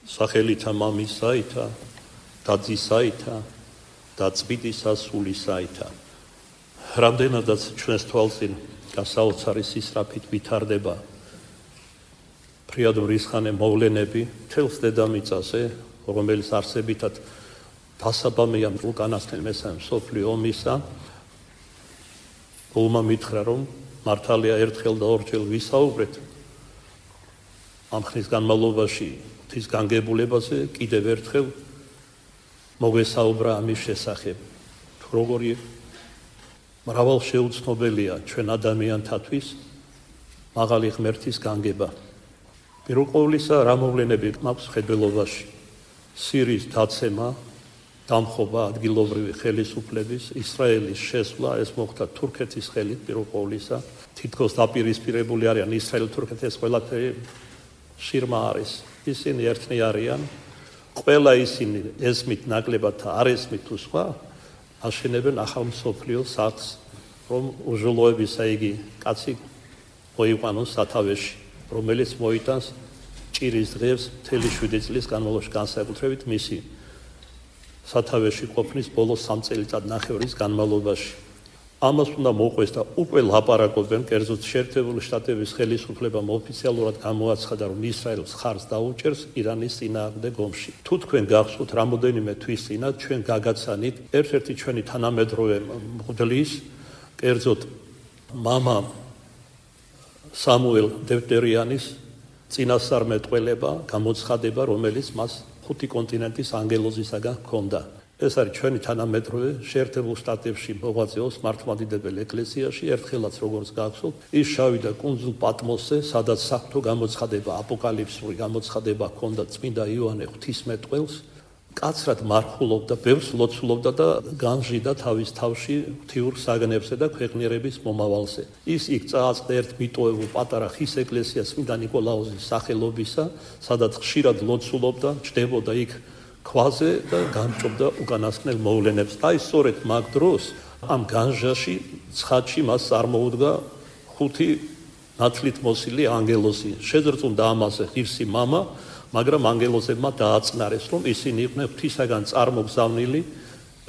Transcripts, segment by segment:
სახელითა მამისაითა და ძისაითა და წმინდისა სულისაითა. რამდენადაც ჩვენს თვალწინ გასაოცარი სისწრაფით ვითარდება ფრიად მრისხანე მოვლენები მთელს დედამიწაზე, რომელიც არსებითად დასაბამეა უკანასკნელ მესამე მსოფლიო ომისა, გულმა მითხრა, რომ მართალია ერთხელ და ორჯერ ვისაუბრეთ ამ ხნის განმავლობაში ღვთის განგებულებაზე, კიდევ ერთხელ მოგესაუბრა ამის შესახებ. თუ როგორი მრავალ შეუცნობელია ჩვენ ადამიანთათვის მაღალი ღმერთის განგება. პირველ ყოვლისა რა მოვლენები მაქვს ხედველობაში? სირიის დაცემა, დამხობა ადგილობრივი ხელისუფლების, ისრაელის შესვლა, ეს მოხდა თურქეთის ხელით პირველ ყოვლისა. თითქოს დაპირისპირებული არიან ისრაელ-თურქეთის ყველაფერი შირმა არის. ისინი ერთნი არიან. ყველა ისინი ესმით ნაკლებად და არ ესმით თუ სხვა აშენებენ ახალ მსოფლიო სახლს, რომ უჟულოებისა იგი კაცი მოიყვანოს სათავეში, რომელიც მოიტანს ჭირის დღეს მთელი 7 წლის განმავლობაში, განსაკუთრებით მისი სათავეში ყოფნის ბოლო 3 წელიწად-ნახევრის განმავლობაში. ამას უნდა მოყვეს და უკვე ლაპარაკობენ, კერძოდ შეერთებული შტატების ხელისუფლებამ ოფიციალურად გამოაცხადა, რომ ისრაელს ხარს დაუჭერს ირანის წინააღმდეგ ომში. თუ თქვენ გახსოვთ, რამოდენიმე თვის წინათ ჩვენ გაგაცანით ერთ-ერთი ჩვენი თანამედროვე მღვდლის, კერძოდ მამა სამუელ დევტერიანის წინასწარმეტყველება, გამოცხადება, რომელიც მას 5 კონტინენტის ანგელოზისაგან ჰქონდა. ეს არის ჩვენი თანამედროვე შეერთებულ შტატებში მოღვაწეობს მართლმადიდებელ ეკლესიაში. ერთხელაც როგორც გახსოვთ, ის შავიდა კუნძულ პატმოსზე, სადაც საფრთხო გამოცხადება, აპოკალიფსური გამოცხადება ჰქონდა წმინდა იოანე ღვთისმეტყველს, კაცრად მარხულობდა, ბევრს ლოცულობდა და განჟიდა თავის თავში ღვთიურ საგნებზე და ქვეყნიერების მომავალზე. ის იქ წააწყდა ერთ მიტოვებულ პატარა ხის ეკლესიას წმინდა ნიკოლაოზის სახელობისა, სადაც ხშირად ლოცულობდა, ჯდებოდა იქ ქვაზე და გამჭობდა უკანასკნელ მოვლენებს. აი სწორედ მაგ დროს ამ განჟაში ცხადში მას წარმოუდგა 5 ნათლით მოსილი ანგელოზი. შეზრწუნდა ამაზე ღირსი მამა, მაგრამ ანგელოზებმა დააწნარეს, რომ ისინი იყვნენ ღვთისაგან წარმოგზავნილი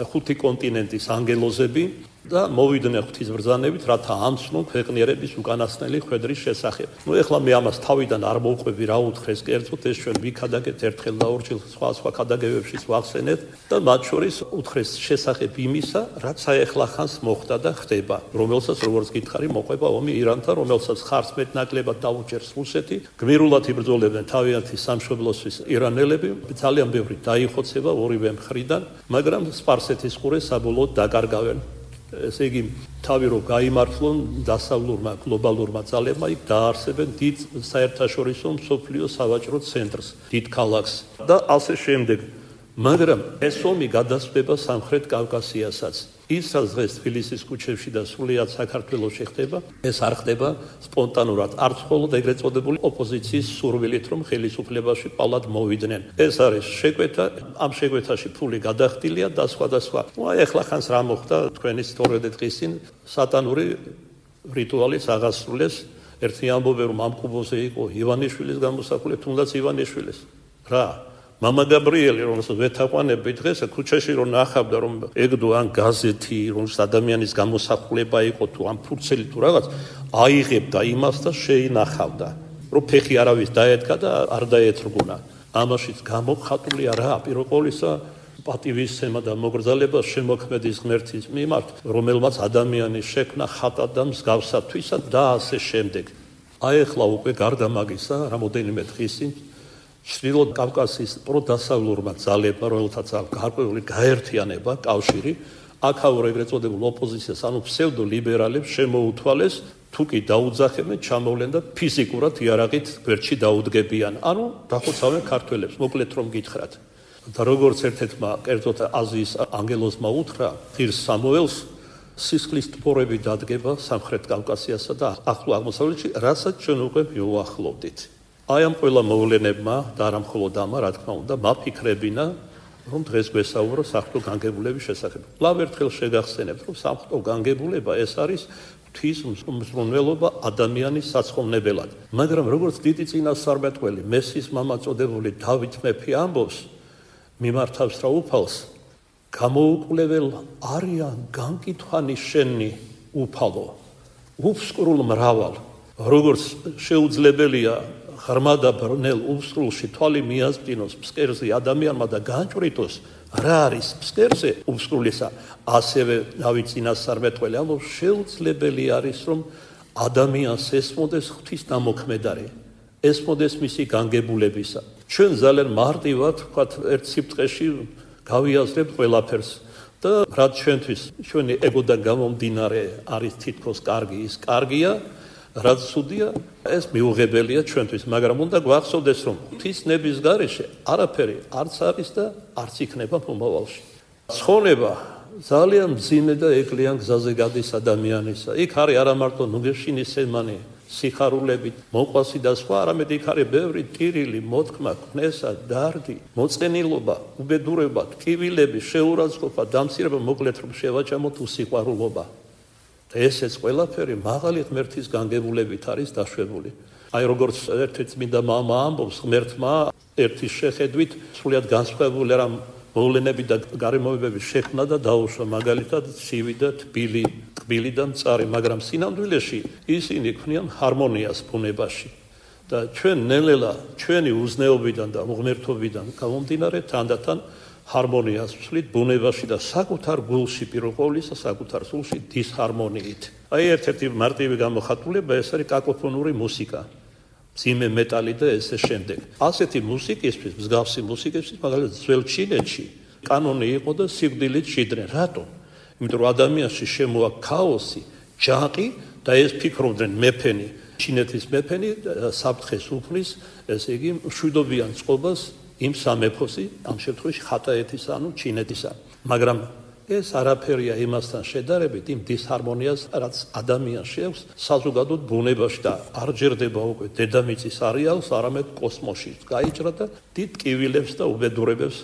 5 კონტინენტის ანგელოზები და მოვიდნენ ღვთის ბრძანებით, რათა ამცნონ ქვეყნიერების უკანასკნელი ხვედრის შესახებ. ეხლა მე ამას თავიდან არ მოვყვები, რა უთხრეს, კერძოდ ეს ჩვენ ვიქადაგეთ ერთხელ და ორჯერ სხვა ქადაგებებშიც ვახსენეთ და მათ შორის უთხრეს შესახებ იმისა, რაც აეხლახანს მოხდა და ხდება, რომელსაც როგორც გითხარი, მოყვება ომი ირანთან, რომელსაც ხარს მეტნაკლებად დაუჭერს რუსეთი, გმირულად იბრძოლებენ თავიანთი სამშობლოსთვის ირანელები, ძალიან ბევრი დაიხოცება ორივე მხრიდან, მაგრამ სპარსეთის ყურე საბოლოოდ დაკარგავენ. ესე იგი, თავი რომ გაიმართლონ დასავლურმა გლობალურმა ძალებმა, იქ დაარსებენ დიდ საერთაშორისო მსოფლიო სავაჭრო ცენტრს, დიდ ქალაქს და ასე შემდეგ. მაგრამ ეს ომი გადასწრება სამხრეთ კავკასიასაც. ის რაც დღეს თბილისის ქუჩებში და სრულიად საქართველოში ხდება, ეს არ ხდება სპონტანურად, არც მხოლოდ ეგრეთ წოდებული ოპოზიციის სურვილით, რომ ხელისუფლებაში პალად მოვიდნენ. ეს არის შეკვეთა, ამ შეკვეთაში ფული გადახდილია და სხვა და სხვა. აი ახლა ხანს რა მოხდა თქვენი 2 დღის წინ სატანური რიტუალიც აღასრულეს. ერთი ამბობენ, რომ ამ კუბოზე იყო ივანიშვილის გამოსახულება, თუნდაც ივანიშვილის. რა მამა გაბრიელი, რომელსაც ვეთაყვანები დღეს ქუჩაში რომ ნახავდა, რომ ეგდო ან გაზეთი, რომ ადამიანის გამოსახულება იყო თუ ამ ფურცელი თუ რაღაც, აიღებდა იმას და შეინახავდა, რომ ფეხი არავის დაედგა და არ დაეთრგუნა. ამაშიც გამოხატულია რა, პირველ ყოვლისა პატივისცემა და მოგრძალება შემოქმედის ღმერთის მიმართ, რომელმაც ადამიანი შექმნა ხატად და მსგავსათვისად და ასე შემდეგ. აი ახლა უკვე გარდა მაგისა, რამოდენიმე დღის წინ ჩრდილო კავკასიის პროდასავლურმა ძალებმა, რომელთაც აქვს გარკვეული გაერთიანება, კავშირი, აქაურ ეგრეთ წოდებულ ოპოზიციას, ანუ ფსევდოლიბერალებს შემოუთვალეს, თუ კი დაუძახებენ, ჩამოვლენ და ფიზიკურად იარაღით გვერდში დაუდგებიან. ანუ დახოცავენ ქართველებს, მოკლედ რომ გითხრათ. და როგორც ერთ-ერთმა კერძოდ აზიის ანგელოზმა უთხრა, ღირს სამუელს სისხლის ტბორები დადგება სამხრეთ კავკასიასა და ახლო აღმოსავლეთში, რასაც ჩვენ უკვე მივუახლოვდით. აი ამ ყველა მოვლენებმა და არა მხოლოდ ამა, რა თქმა უნდა, მაფიქრებინა, რომ დღეს გვესაუბრო საღვთო განგებულების შესახებ. კვლავ ერთხელ შეგახსენებთ, რომ საღვთო განგებულება ეს არის ღვთის მზრუნველობა ადამიანის საცხოვნებელად. მაგრამ როგორც დიდი წინასწარმეტყველი მესის მამა წოდებული დავით მეფე ამბობს, მიმართავს რა უფალს, გამოუკვლეველ არიან განკითხვანი შენი უფალო, უფსკრულ მრავალ, როგორც შეუძლებელია ღრმა და ბრნელ უფსკრულში თვალი მიაზრინოს ფსკერზე ადამიანმა და განჭვრიტოს, რა არის ფსკერზე უფსკრულისა, ასევე დავით წინასწარმეტყველი ამბობს, შეუძლებელი არის, რომ ადამიანს ესმოდეს ღვთის დამოქმედარი, ესმოდეს მისი განგებულებისა. ჩვენ ძალიან მარტივად ვთქვათ, ერთ სიბრტყეში გავიაზრებთ ყველაფერს და რაც ჩვენთვის ჩვენი ეგოდან გამომდინარე არის თითქოს კარგი, ის კარგია, რაც ცუდია, ეს მიუღებელია ჩვენთვის, მაგრამ უნდა გვახსოვდეს, რომ ღვთის ნების გარეშე არაფერი არც არის და არც იქნება მომავალში. ცხოვრება ძალიან მძიმე და ეკლიან გზაზე გადის ადამიანისა. იქ არის არა მარტო ნუგეშინის სემანი, სიხარულებით, მოყვასი და სხვა, არამედ იქ არის ბევრი ტირილი, მოთქმა, ქნესა, დარდი, მოწყენილობა, უბედურება, ტკივილები, შეურაცხყოფა, დამცირება, მოკლედ რომ შევაჭამოთ უსიყვარულობა. და ესეც ყველაფერი მაღალი ღმერთის განგებულებით არის დაშვებული. აი როგორც ერთ-ერთი წმინდა მამა ამბობს, ღმერთმა ერთის შეხედვით სრულიად განსხვავებული რამ მოვლენები და გარემოებები შექმნა და დაუშვა, მაგალითად ცივი და თბილი და მწარი, მაგრამ სინამდვილეში ისინი ქმნიან ჰარმონიას ბუნებაში. და ჩვენ ნელ-ნელა ჩვენი უზნეობიდან და უღმერთობიდან გამომდინარე თანდათან ჰარმონიას ვცვლით ბუნებაში და საკუთარ გულში, პირველ ყოვლისა საკუთარ სულში დისჰარმონიით. აი ერთ-ერთი მარტივი გამოხატულება ეს არის კაკოფონური მუსიკა. მძიმე მეტალი და ესე შემდეგ. ასეთი მუსიკისთვის, მსგავსი მუსიკისთვის, მაგალითად ძველ ჩინეთში კანონი იყო და სიკვდილით შეძდნენ. რატომ? იმიტომ რომ ადამიანში შემოაქვს ქაოსი, ჯაყი და ეს ფიქრობდნენ მეფენი, ჩინეთის მეფენი საფრთხეს უქმნის, ესე იგი მშვიდობიან წყობას იმ სამეფოსი, ამ შემთხვევაში ხატაეთისა, ანუ ჩინეთისა. მაგრამ ეს არაფერია იმასთან შედარებით იმ დისჰარმონიას, რაც ადამიანს შეაქვს საზოგადოდ ბუნებაში და არ ჯერდება უკვე დედამიწის არეალს, არამედ კოსმოსში. გაიჭრა და დიდ ტკივილებს და უბედურებებს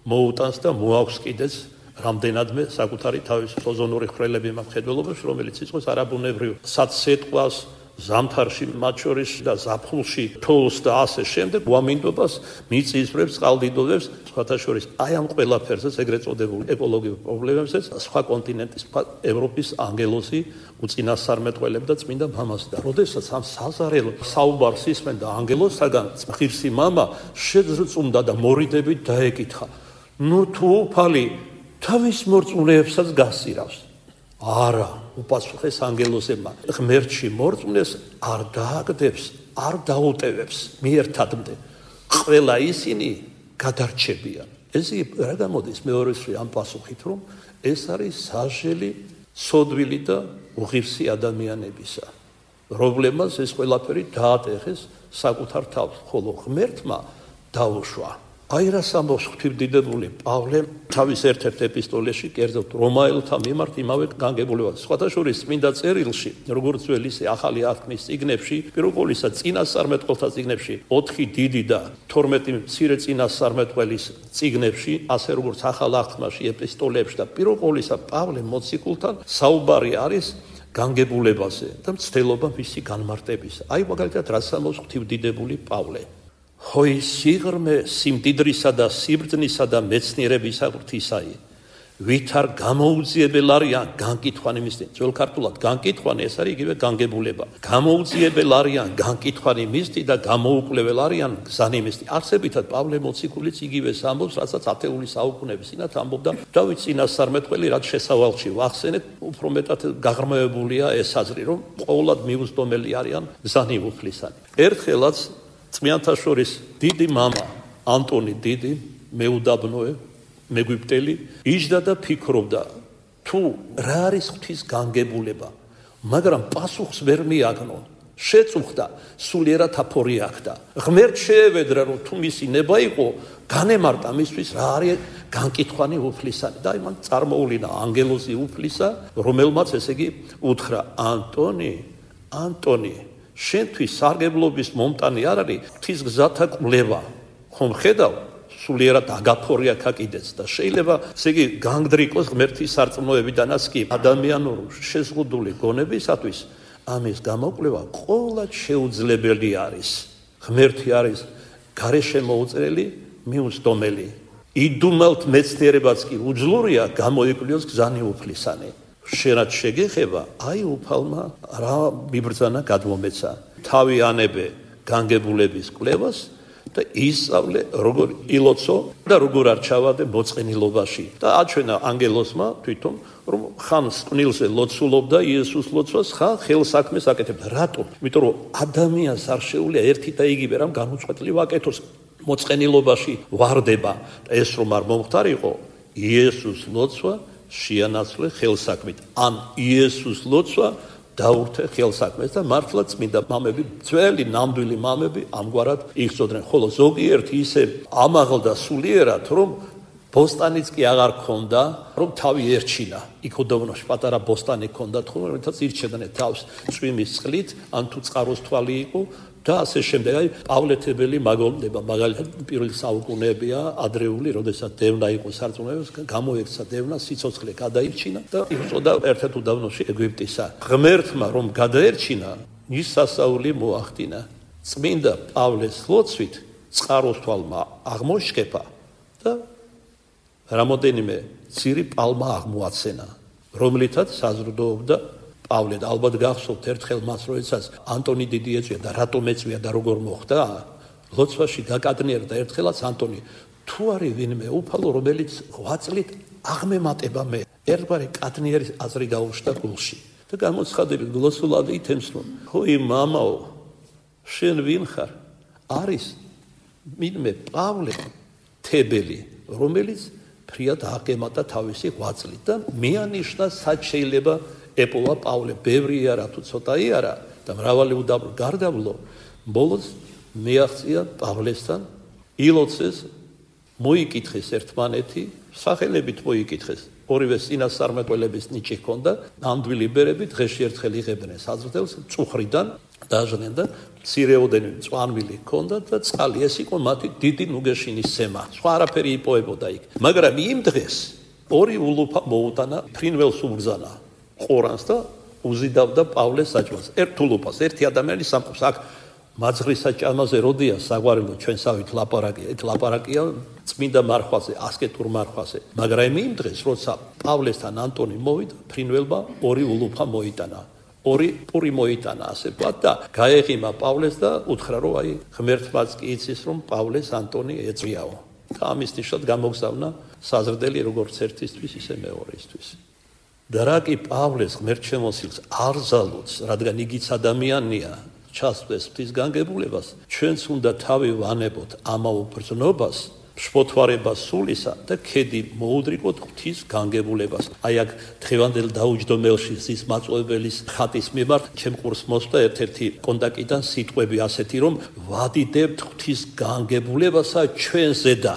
მოუტანს და მოაქვს კიდეც რამდენადმე საკუთარი თავის ოზონური ხრელები მხედველობაში, რომელიც იწვევს არაბუნებრივ საცეთყვას, ზამთარში, მათ შორის და ზაფხულში, თოვლს და ასე შემდეგ, უამინდობას, მიწისძვრებს, წყალდიდობებს, სხვათა შორის აი ამ ყველაფერზეც ეგრეთ წოდებულ ეკოლოგიურ პრობლემებზეც სხვა კონტინენტის, ევროპის ანგელოზი უწინასწარმეტყველებდა წმინდა მამას და როდესაც ამ საზარელ საუბარს ისმენდა ანგელოზსაგან, ღირსი მამა შეძრწუნდა და მორიდებით დაეკითხა: ნუ თუ უფალი თავის მორწმუნეებსაც გასირავს? არა, უპასუხეს ანგელოზებმა, ღმერთში მორწმუნეს არ დააგდებს, არ დაუტევებს მიერთადმდე, ყველა ისინი გადარჩებიან. ეს რა გამოდის მეორეში ამ პასუხით, რომ ეს არის სასჯელი სოდვილი და უღირსი ადამიანებისა. პრობლემას ეს ყველაფერი დაატეხეს საკუთარ თავს, ხოლო ღმერთმა დაუშვა. აი რას ამბობს ღვთისმდიდრული პავლე თავის ერთ-ერთ ეპისტოლეში, კერძოდ რომაელთა მიმართ იმავე განგებულებას. სხვათა შორის წმინდა წერილში, როგორც ძველ ისე ახალი აღთქმის წიგნებში, პირველ ყოვლისა წინასწარმეტყველთა წიგნებში, 4 დიდი და 12 მცირე წინასწარმეტყველის წიგნებში, ასე როგორც ახალ აღთქმაში, ეპისტოლეებში და პირველ ყოვლისა პავლე მოციქულთან საუბარი არის განგებულებაზე და მცდელობა მისი განმარტებისა. აი მაგალითად რას ამბობს ღვთისმდიდრული პავლე. Hoi სიღრმე სიმდიდრისა და სიბრძნისა და მეცნიერებისა ღვთისაი, ვითარ გამოუძიებელ არიან განკითხვანი მისთი. ძველ ქართულად განკითხვანი ეს არის იგივე განგებულება. გამოუძიებელ არიან განკითხვანი მისთი და გამოუკვლეველ არიან გზანი მისთი. არსებითად პავლე მოციქულიც იგივეს ამბობს, რასაც ათეული საუკუნეების წინათ ამბობდა დავით წინასწარმეტყველი, რაც შესავალში ვახსენეთ, უფრო მეტად გაღრმავებულია ეს აზრი, რომ ყოვლად მიუძდომელი არიან გზანი უფლისანი. ერთხელაც წმინდანთა შორის დიდი მამა ანტონი დიდი, მეუდაბნოე, მეგვიპტელი, იჯდა და ფიქრობდა, თუ რა არის ღვთის განგებულება, მაგრამ პასუხს ვერ მიაგნო. შეწუხდა, სულიერად აფორი აქდა. ღმერთს შეევედრა, რომ თუ მისი ნება იყო, განემარტა მისთვის რა არის განკითხვანი უფლისანი. და იმან წარმოულინა ანგელოზი უფლისა, რომელმაც ესე იგი უთხრა: ანტონი, შენთვის სარგებლობის მომტანი არ არის ღვთის გზათა კვლევა. ხომ ხედავ, სულიერად აგაფორია კიდეც და შეიძლება ესე იგი განგდრიკოს ღმერთის სარწმუნოებიდანაც კი ადამიანური შეზღუდული გონებისათვის ამის გამოკვლევა ყოველად შეუძლებელი არის. ღმერთი არის გარეშე მოუწრელი, მიუსტომელი. იდუმალთ მეცნიერებაც კი უძლურია გამოიკვლიოს გზანი უფლისანი. შენაც შეგეხება, აი უფალმა რა მიბრძანა გადმომეცა. თავი ანებე განგებულების კვლევას და ისწავლე როგორ ილოცო და როგორ არ ჩავადე მოწყენილობაში. და აჩვენა ანგელოსმა თვითონ რომ ხან სკვნილზე ლოცულობდა იესოს ლოცვას, ხან ხელსაქმეს აკეთებდა. რატომ? იმიტომ რომ ადამიანს არ შეუძლია ერთი და იგივე რამ განუწყვეტლივ აკეთოს. მოწყენილობაში ვარდება და ეს რომ არ მომხდარიყო, იესოს ლოცვა შეანაცვლე ხელსაქმით. ან იესოს ლოცვა დაურთე ხელსაქმეს და მართლა წმინდა მამები, ძველი ნამდვილი მამები ამგვარად იხსოდნენ. ხოლო ზოგიერთი ისე ამაღლდა სულიერად, რომ ბოსტანიც კი აღარ ქონდა, რომ თავი ერჩინა. იქ უდაბნოში პატარა ბოსტანი ქონდა, რომელთაც ირჩევდნენ თავს წვიმის წყლით, ან თუ წყაროს თვალი იყო და ასე შემდეგ. აი პავლეთებელი მაგალითად მაგალითად პირველი საუკუნეებია ადრეული, როდესაც დევნა იყო სარწმუნოებას, გამოექცა დევნა, სიცოცხლე გადაირჩინა და იწოდა ერთ-ერთ უდაბნოში ეგვიპტისა. ღმერთმა რომ გადაერჩინა, ის სასაული მოახდინა. წმინდა პავლეს ლოცვით წყაროს თვალმა აღმოშკეფა და რამოდენიმე ძირი პალმა აღმოაცენა, რომლითაც საზრდოობდა პავლე. ალბათ გახსოვთ ერთხელ მას, როდესაც ანტონი დიდი ეწვია და რატომ ეწვია და როგორ მოხდა, ლოცვაში გაკადნიერდა ერთხელაც ანტონი, თუ არის ვინმე უფალო, რომელიც ღვაწლით აღმემატება მე. ერთგვარი კადნიერის აზრი გაუშვდა გულში და გამოცხადებით გლოსულადი ითემს, რომ ხოი მამაო, შენ ვინ ხარ? არის ვინმე პავლე თებელი, რომელიც ფრიად აღემატა თავისი ღვაწლით და მეანიშნა სად შეიძლება ეპოვა პავლე, ბევრი არა თუ ცოტაი არა და მრავალი უდაბნო გარდავლო, ბოლოს მიაღწია პავლესთან, ილოცეს, მოიკითხეს ერთმანეთი, სახელებით მოიკითხეს. ორივე წინასწარმეტყველების ნიჭი ჰქონდა, ნამდვილი ბერები დღეში ერთხელ იღებდნენ საზრდელს, წუხრიდან დაჟდნენ და მცირეოდენი მწვანვილი ჰქონდა და წყალი. ეს იყო მათი დიდი ნუგეშინის სემა. სხვა არაფერი იპოვებოდა იქ. მაგრამ იმ დღეს ორი ულუფა მოუტანა ფრინველს უბრძანა ყორანს და უზიდავდა პავლეს საჭმელს. ერთ ულუფას, ერთი ადამიანი სამყავს აქ მაძღრის საჭამაზე როდია საგვარელო ჩვენსავით ლაპარაკია. ეს ლაპარაკია წმინდა მარხვაზე, ასკეტურ მარხვაზე. მაგრამ იმ დღეს, როცა პავლესთან ანტონი მოვიდა, ფრინველმა ორი ულუფა მოიტანა. ორი პური მოიტანა, ასე ვთქვათ და გაეღიმა პავლეს და უთხრა, რომ აი ღმერთმაც კი იცის, რომ პავლეს ანტონი ეწვიაო. და ამის ნიშნად გამოგზავნა საზრდელი როგორც ერთისთვის, ისე მეორისთვის. და რა კი პავლეს ღმერთშემოსილს არ ზალუց, რადგან იგიც ადამიანია, ჩასვდეს ღვთის განგებულებას, ჩვენც უნდა თავი ვანებოთ ამავ ბრძნობას, შფოთვარებას სულისა და ქედი მოუდრიკოთ ღვთის განგებულებას. აი აქ დღევანდელ დაუჯდომელში ზის მაწვეველის ხატის მიმართ ჩემ ყურს მოსვდა ერთ-ერთი კონტაქტიდან სიტყვები ასეთი, რომ ვადიდებთ ღვთის განგებულებასა ჩვენზე და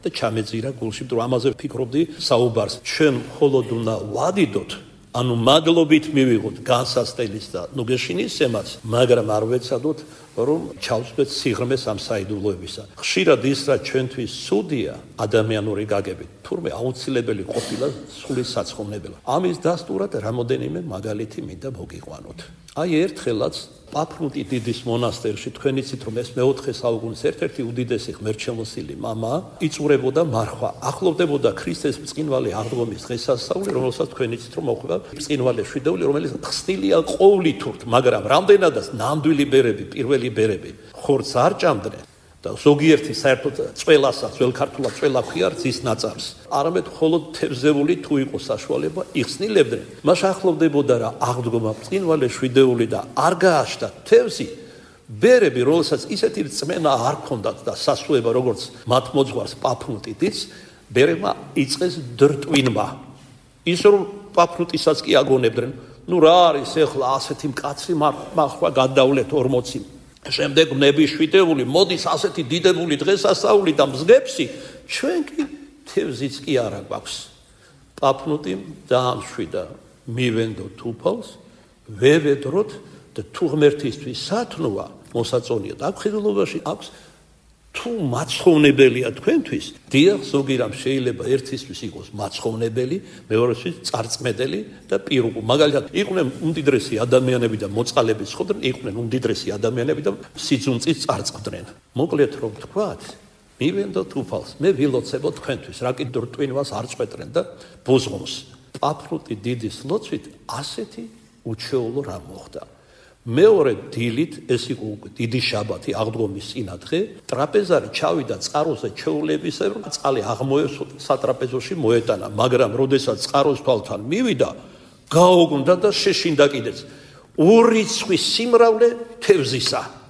ჩამეძირა გულში, რომ ამაზე ვფიქრობდი საუბარს. ჩვენ მხოლოდ უნდა ვადიდოთ, ანუ მადლობით მივიღოთ განსასწრების და ნუგეშინის სემაც, მაგრამ არ ვეცადოთ, რომ ჩავსვეთ სიღრმეს ამ საიდუმლოებისა. ხშირად ის რა ჩვენთვის სუდია ადამიანური გაგებით, თურმე აუცილებელი ყოფილა სული საცხოვნებელა. ამის დასტურად რამოდენიმე მაგალითი მინდა მოგიყვანოთ. აი ერთხელაც პაფნუტი დიდის მონასტერში, თქვენ იცით რომ ეს მეოთხე საუკუნის ერთ-ერთი უდიდესი ღმერთშემოსილი მამა იწურებოდა მარხვა, ახლოვდებოდა ქრისტეს მწყინვარე აღდგომის დღესასწაული, რომელსაც თქვენ იცით რომ მოხდა მწყინვალე შვიდეული, რომელიც ხსნილია ყოვლითურთ, მაგრამ რამდენადაც ნამდვილი ბერები, პირველი ბერები ხორცს არ ჭამდნენ და ზოგიერთი საერთოდ წველასაც, ძველ ქართულად წველა ქვია ძის ნაწარს. არამედ მხოლოდ თევზეული თუ იყო საშუალება, იხსნილებდნენ. მას ახლოვდებოდა რა აღდგომა მწყინვალე შვიდეული და არ გააშთა თევზი. ბერები, რომელსაც ისეთი რწმენა არ ქონდათ და სასუება, როგორც მათ მოძღვარს პაფნუტიც, ბერებმა იწყეს დრტვინმა. ის რომ პაფნუტისაც კი აგონებდნენ, ნუ რა არის ეხლა ასეთი მკაცრი მარხვა გადავლეთ 40. შემდეგ ნებიშვიდეული, მოდის ასეთი დიდებული დღესასწაული და მსგებში, ჩვენ კი თევზიც კი არა გვაქვს. პაფნუტი დაამშვიდა, მივენდოთ უფალს, ვევედროთ და თუ ღმერთისთვის სათნოა მოსაწონია და აქ ხედულობაში აქვს თუ მაცხოვნებელია თქვენთვის, დიახ, ზოგი რამ შეიძლება ერთისთვის იყოს მაცხოვნებელი, მეორესთვის წარწმედელი და პირუკუ. მაგალითად, იყვნენ უმდიდრესი ადამიანები და მოწყალები ცხოვრობდნენ, იყვნენ უმდიდრესი ადამიანები და სიძუნწის წარწყდნენ. მოკლედ რომ თქვათ, მივენდოთ უფალს, მე ვილოცებო თქვენთვის, რა კიდე რტვინვას არ წვეტრენ და ბოზღომს. პაფრუტი დიდის ლოცვით ასეთი უჩვეულო რა მოხდა. მეორე დილით, ეს იყო დიდი შაბათი, აღდგომის წინადღე, ტრაპეზარი ჩავიდა წყაროზე ჩვეულებისებრ, წყალი აღმოესვა სატრაპეზოში მოეტანა, მაგრამ როდესაც წყაროს თვალთან მივიდა, გაუგმდა და შეშინდა კიდეც. ურიცხვი სიმრავლე თევზისა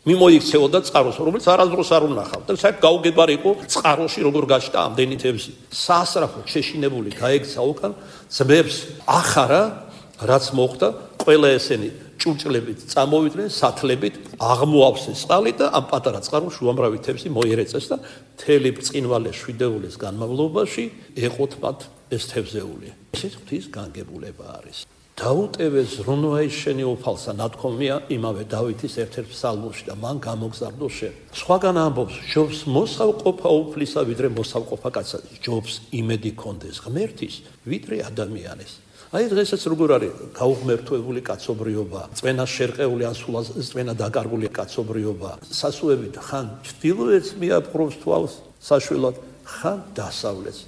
მიმოიქცეოდა წყაროს, რომელიც არასდროს არ უნახავ და საერთოდ გაუგებარი იყო წყაროში როგორ გაჩნდა ამდენი თევზი. სასწრაფოდ შეშინებული გაექცა უკან, ძმებს ახარა, რაც მოხდა, ყველა ესენი ჭურჭლებით წამოვიდნენ, სათლებით აღმოავსეს წყალი და ამ პატარა წყაროს უამრავი თევზი მოიერეწეს და მთელი ბრწყინვალე შვიდეულის განმავლობაში ეყოთ მათ ეს თევზეული. ეს ღვთის განგებულება არის. დაუტევეს ზრუნვაი შენი უფალსა, ნათქვამია იმავე დავითის ერთ-ერთ ფსალმოში და მან გამოგზავნო შენ. სხვაგან ამბობს, ჯობს მოსავყოფა უფლისა, ვიდრე მოსავყოფა კაცსა. ჯობს იმედი კონდეს ღმერთის, ვიდრე ადამიანის. აი დღესაც როგორ არის გაუღმერთვებული კაცობრიობა, წვენა შერყეული ან სულ წვენა დაკარგული კაცობრიობა, სასუებით ხან ჩრდილოეთს მიაპყრობს თვალს საშველად, ხან დასავლეთს,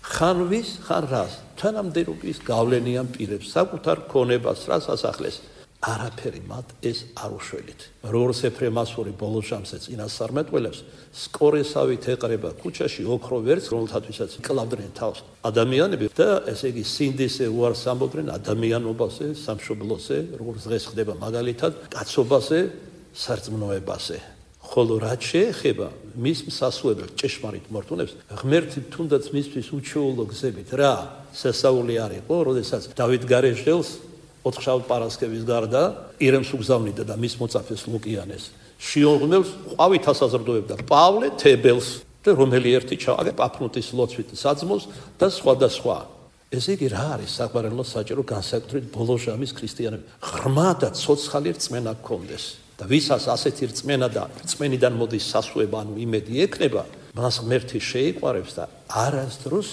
ხან ვის, ხან რას, თანამდებობის გავლენიან პირებს, საკუთარ ქონებას რას ასახლეს. არაფერი მათ ეს არ უშველით. როგორც ეფრემასური ბოლო ჟამზე წინასწარმეტყველებს, სკორესავით ეყრება ქუჩაში ოქრო ვერცხლს, რომელთათვისაც იკლავდნენ თავს ადამიანები და ესე იგი სინდისე უარს ამბობდნენ ადამიანობაზე, სამშობლოზე, როგორც დღეს ხდება მაგალითად, კაცობაზე, სარწმუნოებაზე. ხოლო რაც შეეხება მის მსასუებელ ჭეშმარიტ მორთულებს, ღმერთი თუნდაც მისთვის უჩვეულო გზებით რა სასაული არ იყო, როდესაც დავით გარეშელს ოთხშაბათ პარასკევის გარდა ირემს უგზავნიდა და მის მოწაფეს ლუკიანეს. შიომღმელს ყვავით ასაზრდოებდა პავლე თებელს და რომელი ერთი ჩავაგე პაფნუტის ლოცვით საძმოს და სხვა. ესე იგი რა არის საყვარელო საჭირო განსაკუთრებით ბოლო ჟამის ქრისტიანები. ღრმა და ცოცხალი რწმენა გქონდეს. და ვისაც ასეთი რწმენა და რწმენიდან მოდის სასუება, ანუ იმედი ექნება, მას ღმერთი შეიყვარებს და არასდროს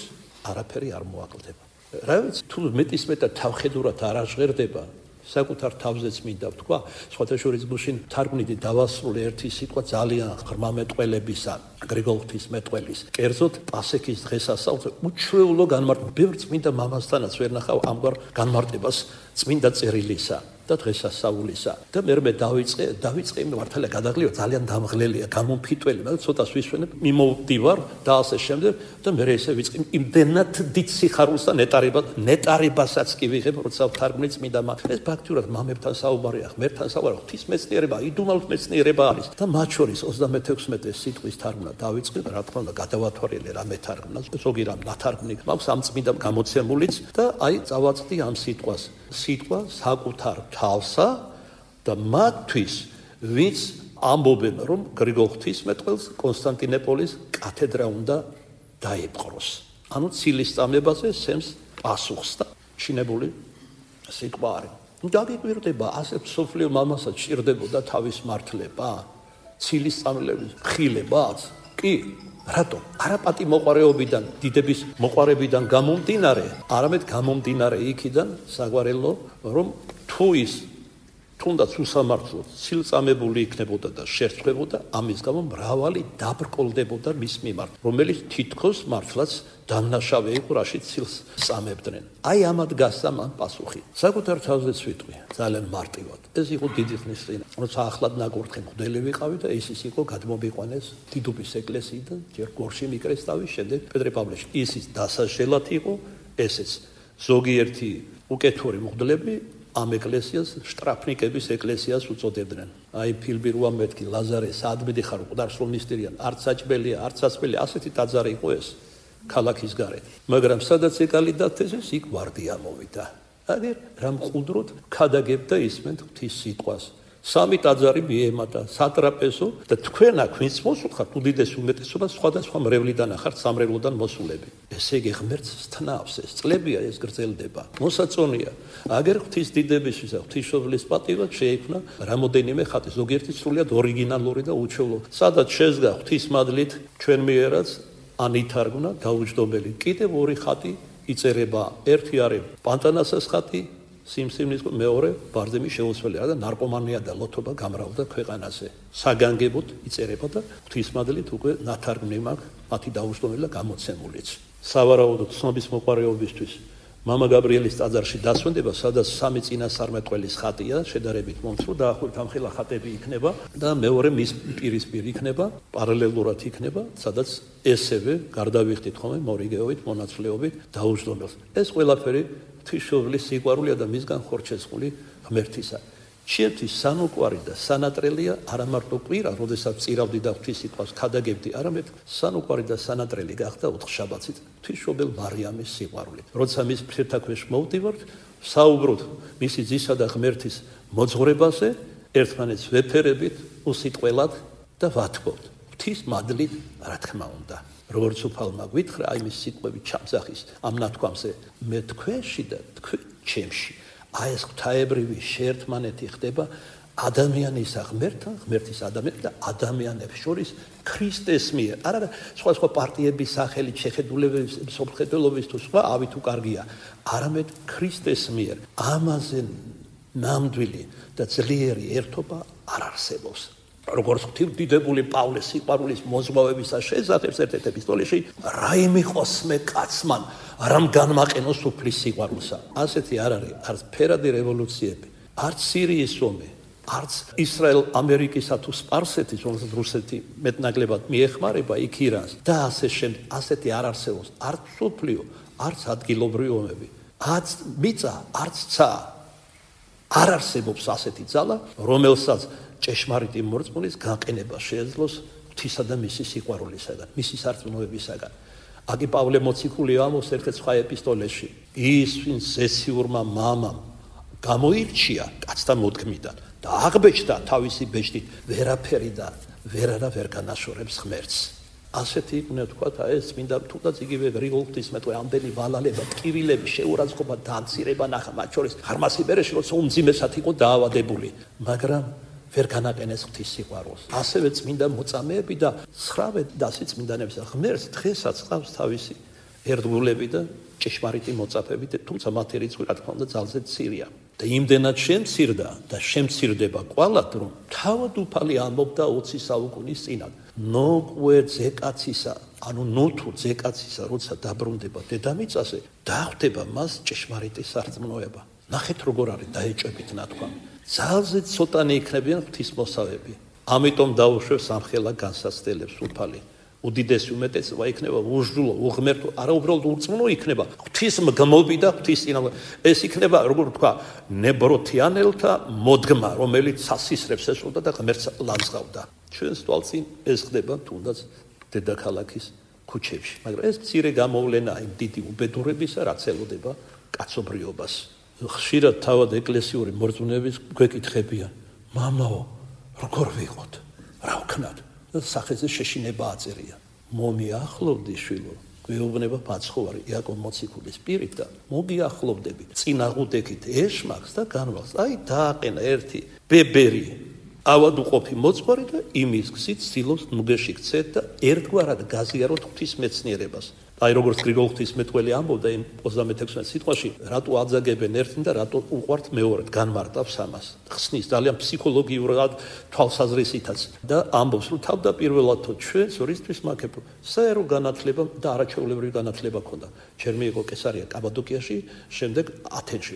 არაფერი არ მოაკლდება. რა ვიცი, თუ მეტისმეტად თავხედურად არ აღჟღერდება, საკუთარ თავზეც მინდა ვთქვა, სხვათა შორის გუშინ თარგმნიდი დავასრულე ერთი სიტყვა ძალიან ღრმა მეტყველებისა, გრიგოლ ღვთისმეტყველის. კერძოდ პასექის დღესასწაულზე უჩვეულო განმარტება, ბევრ წმინდა მამასთანაც ვერ ნახავ ამგვარ განმარტებას წმინდა წერილისა და დღესასწაულისა. და მე დავიწყე მართალია გადაღლიო ძალიან დამღლელია, გამომფიტველი, მაგრამ ცოტას ვისვენებ, მიმოვდივარ და ასე შემდეგ და მე ესე ვიწყე იმდენად დიდ სიხარულს და ნეტარებასაც კი ვიღებ, როცა ვთარგმნი წმინდა ეს ფაქტურად მამებთან საუბარია, ღმერთთან საუბარია, ღვთისმეცნიერება, იდუმალ მეცნიერება არის და მათ შორის 36 სიტყვის თარგმნა დავიწყე, რა თქმა უნდა, გადავათვალე რა მეთარგმნა, ზოგი რამ ნათარგმნი მაქვს ამ წმინდა გამოცემულიც და აი წავაწყდი ამ სიტყვას. სიტყვა საკუთარ თავსა და მათთვის, ვინც ამბობენ, რომ გრიგოლ ღვთისმეტყველს კონსტანტინოპოლის კათედრა უნდა დაიპყროს. ანუ ცილის წამებაზე სემს პასუხს და ჩინებული სიტყვა არის. დაგიკვირდება, ასე მსოფლიო მამასაც ჭირდებოდა თავის მართლება, ცილის წამლების ხილებაც? კი, რატო? არა პატი მოყარეობიდან, დიდების მოყარებიდან გამომდინარე, არამედ გამომდინარე იქიდან საგვარელო, რომ თუ ის თუნდაც უსამართლოდ ცილწამებული იქნებოდა და შერწყებოდა, ამის გამო მრავალი დაბრკოლდებოდა მის მიმართ, რომელიც თითქოს მართლაც დამნაშავე იყო, რაშიც ცილს წამებდნენ. აი ამად გასცა მან პასუხი. საკუთარ თავზეც ვიტყვი, ძალიან მარტივად. ეს იყო დიდი ხნის წინ, როცა ახლად ნაკურთხი მღვდელი ვიყავი და ის იყო გადმომიყვანეს დიდუბის ეკლესიიდან, ჯერ გორში მიკრეს თავი, შემდეგ პეტრე-პავლეში. ისიც დასაშელად იყო, ესეც ზოგიერთი უკეთური მღვდლები ამ ეკლესიას შტრაფნიკების ეკლესიას უწოდებდნენ. აი ფილმი რო ამეთქი ლაზარე საადმედი ხარ მკვდარსრულ მისტერიან, არც საჭმელია, არც სასმელი, ასეთი ტაძარი იყო ეს ქალაქის გარეთ. მაგრამ სადაც ეკალი დათესეს, იქ ვარდია მოვიდა. აგერ რა მყუდროდ ქადაგებდა ისმენთ ღვთის სიტყვას. სამი ტაძარი მიემატა სატრაპეზო და თქვენ აქ ვინც მოსულხართ უდიდეს უმეტესობა სხვადასხვა მრევლიდან ახართ სამრევლოდან მოსულები. ესე იგი ღმერთს თნავს ეს წლებია ეს გრძელდება. მოსაწონია. აგერ ღვთის დიდებისთვის და ღვთისმშობლის პატივად შეიქმნა რამოდენიმე ხატი, ზოგიერთი სრულიად ორიგინალური და უჩვეულო. სადაც შეზგა ღვთის მადლით ჩვენ მიერაც ან ითარგმნა დაუჯდომელი. კიდევ ორი ხატი იწერება. ერთი არის პანტანასას ხატი, სიმსივნის, მეორე ბარძიმის შეუცვლელი და ნარკომანია და ლოთობა გამრავდა ქვეყანაზე. საგანგებოდ იწერება და ღვთისმადლით უკვე ნათარგმნი მაქვს მათი დაუჯდომელი და გამოცემულიც. სავარაუდოდ ცნობის მოყვარეობისთვის მამა გაბრიელის ტაძარში დასვენდება, სადაც სამი წინასწარმეტყველის ხატია, შედარებით მომცრო დაახლოებით ამხელა ხატები იქნება და მეორე მის პირისპირ იქნება, პარალელურად იქნება, სადაც ესევე გარდავიხდით ხოლმე მორიგეობით, მონაცვლეობით დაუჯდომელს. ეს ყველაფერი ღვთისმშობლის სიყვარულია და მისგან ხორჩეწყული ღმერთისა. ჩემთვის სანუკვარი და სანატრელია არა მარტო კვირა, როდესაც წირავდი და ღვთის სიტყვას ქადაგებდი, არამედ სანუკვარი და სანატრელი გახდა ოთხშაბათით ღვთისმშობელ მარიამის სიყვარული. როცა მის ფერთაქვეშ მოვდივართ, საუბრობთ მისი ძისა და ღმერთის მოძღვრებაზე, ერთმანეთს ვეფერებით, უსიტყველად და ვათქვობთ. ღვთის მადლით, რა თქმა უნდა. როგორც უფალმა გვითხრა, აი მის სიტყვები ჩამძახის ამ ნათქვამზე, მე თქვენში და თქვენ ჩემში. აი ეს ღვთაებრივი შეერთმანეთი ხდება ადამიანის ღმერთთან, ღმერთის ადამიანს და ადამიანებს შორის ქრისტეს მიერ. არა სხვა პარტიების სახელით შეხედულებების, მსოფლმხედველობის თუ სხვა ავი თუ კარგია, არამედ ქრისტეს მიერ. ამაზე ნამდვილი და ძლიერი ერთობა არ არსებობს. როგორც ღვთისმდიდრებული პავლეს სიყვარულის მოზღვავებისა შესახებ ერთ-ერთ ეპისტოლეში, რა იმიყოს მე კაცმან, რამ განმაყენოს უფლის სიყვარულსა. ასეთი არ არის არც ფერადი რევოლუციები, არც სირიის ომი, არც ისრაელ-ამერიკისა თუ სპარსეთის, რომელსაც რუსეთი მეტნაკლებად მიეხმარება იქ ირანს და ასე შემდეგ. ასეთი არ არსებობს არც სოფლიო, არც ადგილობრივი ომები, არც მიწა, არც ცა. არ არსებობს ასეთი ძალა, რომელსაც ჭეშმარიტი მორწმუნის გაყენება შეეძლოს ღვთისა და მისი სიყვარულისაგან, მისი სარწმუნოებისაგან. აგი პავლე მოციქული ამბობს ერთ-ერთ სხვა ეპისტოლეში, ის ვინც ზესიურმა მამამ გამოირჩია კაცთა მოდგმიდან და აღბეჭდა თავისი ბეჭდით, ვერაფერი და ვერ განაშორებს ღმერთს. ასეთი იქნება თქვათ ეს წმინდა თუნდაც იგივე გრიგოლ ღვთისმეტყვი, ამდენი ვალალება, ტკივილები, შეურაცხყოფა, დანცირება ნახა, მათ შორის ხარმასიბერეში, როცა უმძიმესად იყო დაავადებული, მაგრამ ვერ განაყენეს ღვთის სიყვარულს. ასევე წმინდა მოწამეები და ცხრავე დასი წმინდანების ღმერთს დღესაც ყავს თავისი ერთგულები და ჭეშმარიტი მოწაფეები, თუმცა მათი რიცხვი რა თქმა უნდა ძალზე მცირეა. და იმდენად შემცირდა და შემცირდება კვალად, რომ თავად უფალი ამბობდა 20 საუკუნის წინათ, ნოკვე ძეკაცისა, ანუ ნოთუ ძეკაცისა, როცა დაბრუნდება დედამიწაზე, დახვდება მას ჭეშმარიტი სარწმუნოება. ნახეთ როგორ არის დაეჭვებით ნათქვამი. ძალზე ცოტანი იქნებიან ღვთისმოსავები. ამიტომ დაუშვებს ამხელა განსაცდელებს უფალი. უდიდესი უმეტესობა იქნება უჟდულო, უღმერთო, არა უბრალოდ ურწმუნო იქნება, ღვთისმგმობი და ღვთისწინააღმდეგო. ეს იქნება, როგორ ვთქვა, ნებროთიანელთა მოდგმა, რომელიც სასისრებს ესრულდა და ღმერთს ლანძღავდა. ჩვენს თვალწინ ეს ხდება თუნდაც დედაქალაქის ქუჩებში, მაგრამ ეს მცირე გამოვლენაა იმ დიდი უბედურებისა, რაც ელოდება კაცობრიობას. ხშირად თავად ეკლესიური მორწმუნეების გვეკითხებიან, მამაო, როგორ ვიყოთ, რა ვქნათ? სახეზე შეშინება აწერია. მომიახლოვდი შვილო, გვეუბნება ბაცხოვარი იაკობ მოციქულის პირით და მოგიახლოვდებით წინაღუდექით ეშმაკს და განვალს. აი დააყენა ერთი ბებერი ავად უყოფი მოძღვარი და იმის გზით ცდილობს ნუგეში ქცეთ და ერთგვარად გაზიაროთ ღვთის მეცნიერებას. აი როგორც გრიგოლ ღვთისმეტყველი ამბობდა იმ 36 სიტყვაში, რატო აძაგებენ ერთին და რატო უყვართ მეორედ, განმარტავს ამას. ხსნის ძალიან ფსიქოლოგიურად თვალსაზრისითაც და ამბობს, რომ თავდაპირველად ჩვენს რისთვის მაქებ საერო განათლება და არაჩვეულებრივი განათლება ქონდა. ჯერ მიიღო კესარია კაბადოკიაში, შემდეგ ათენში,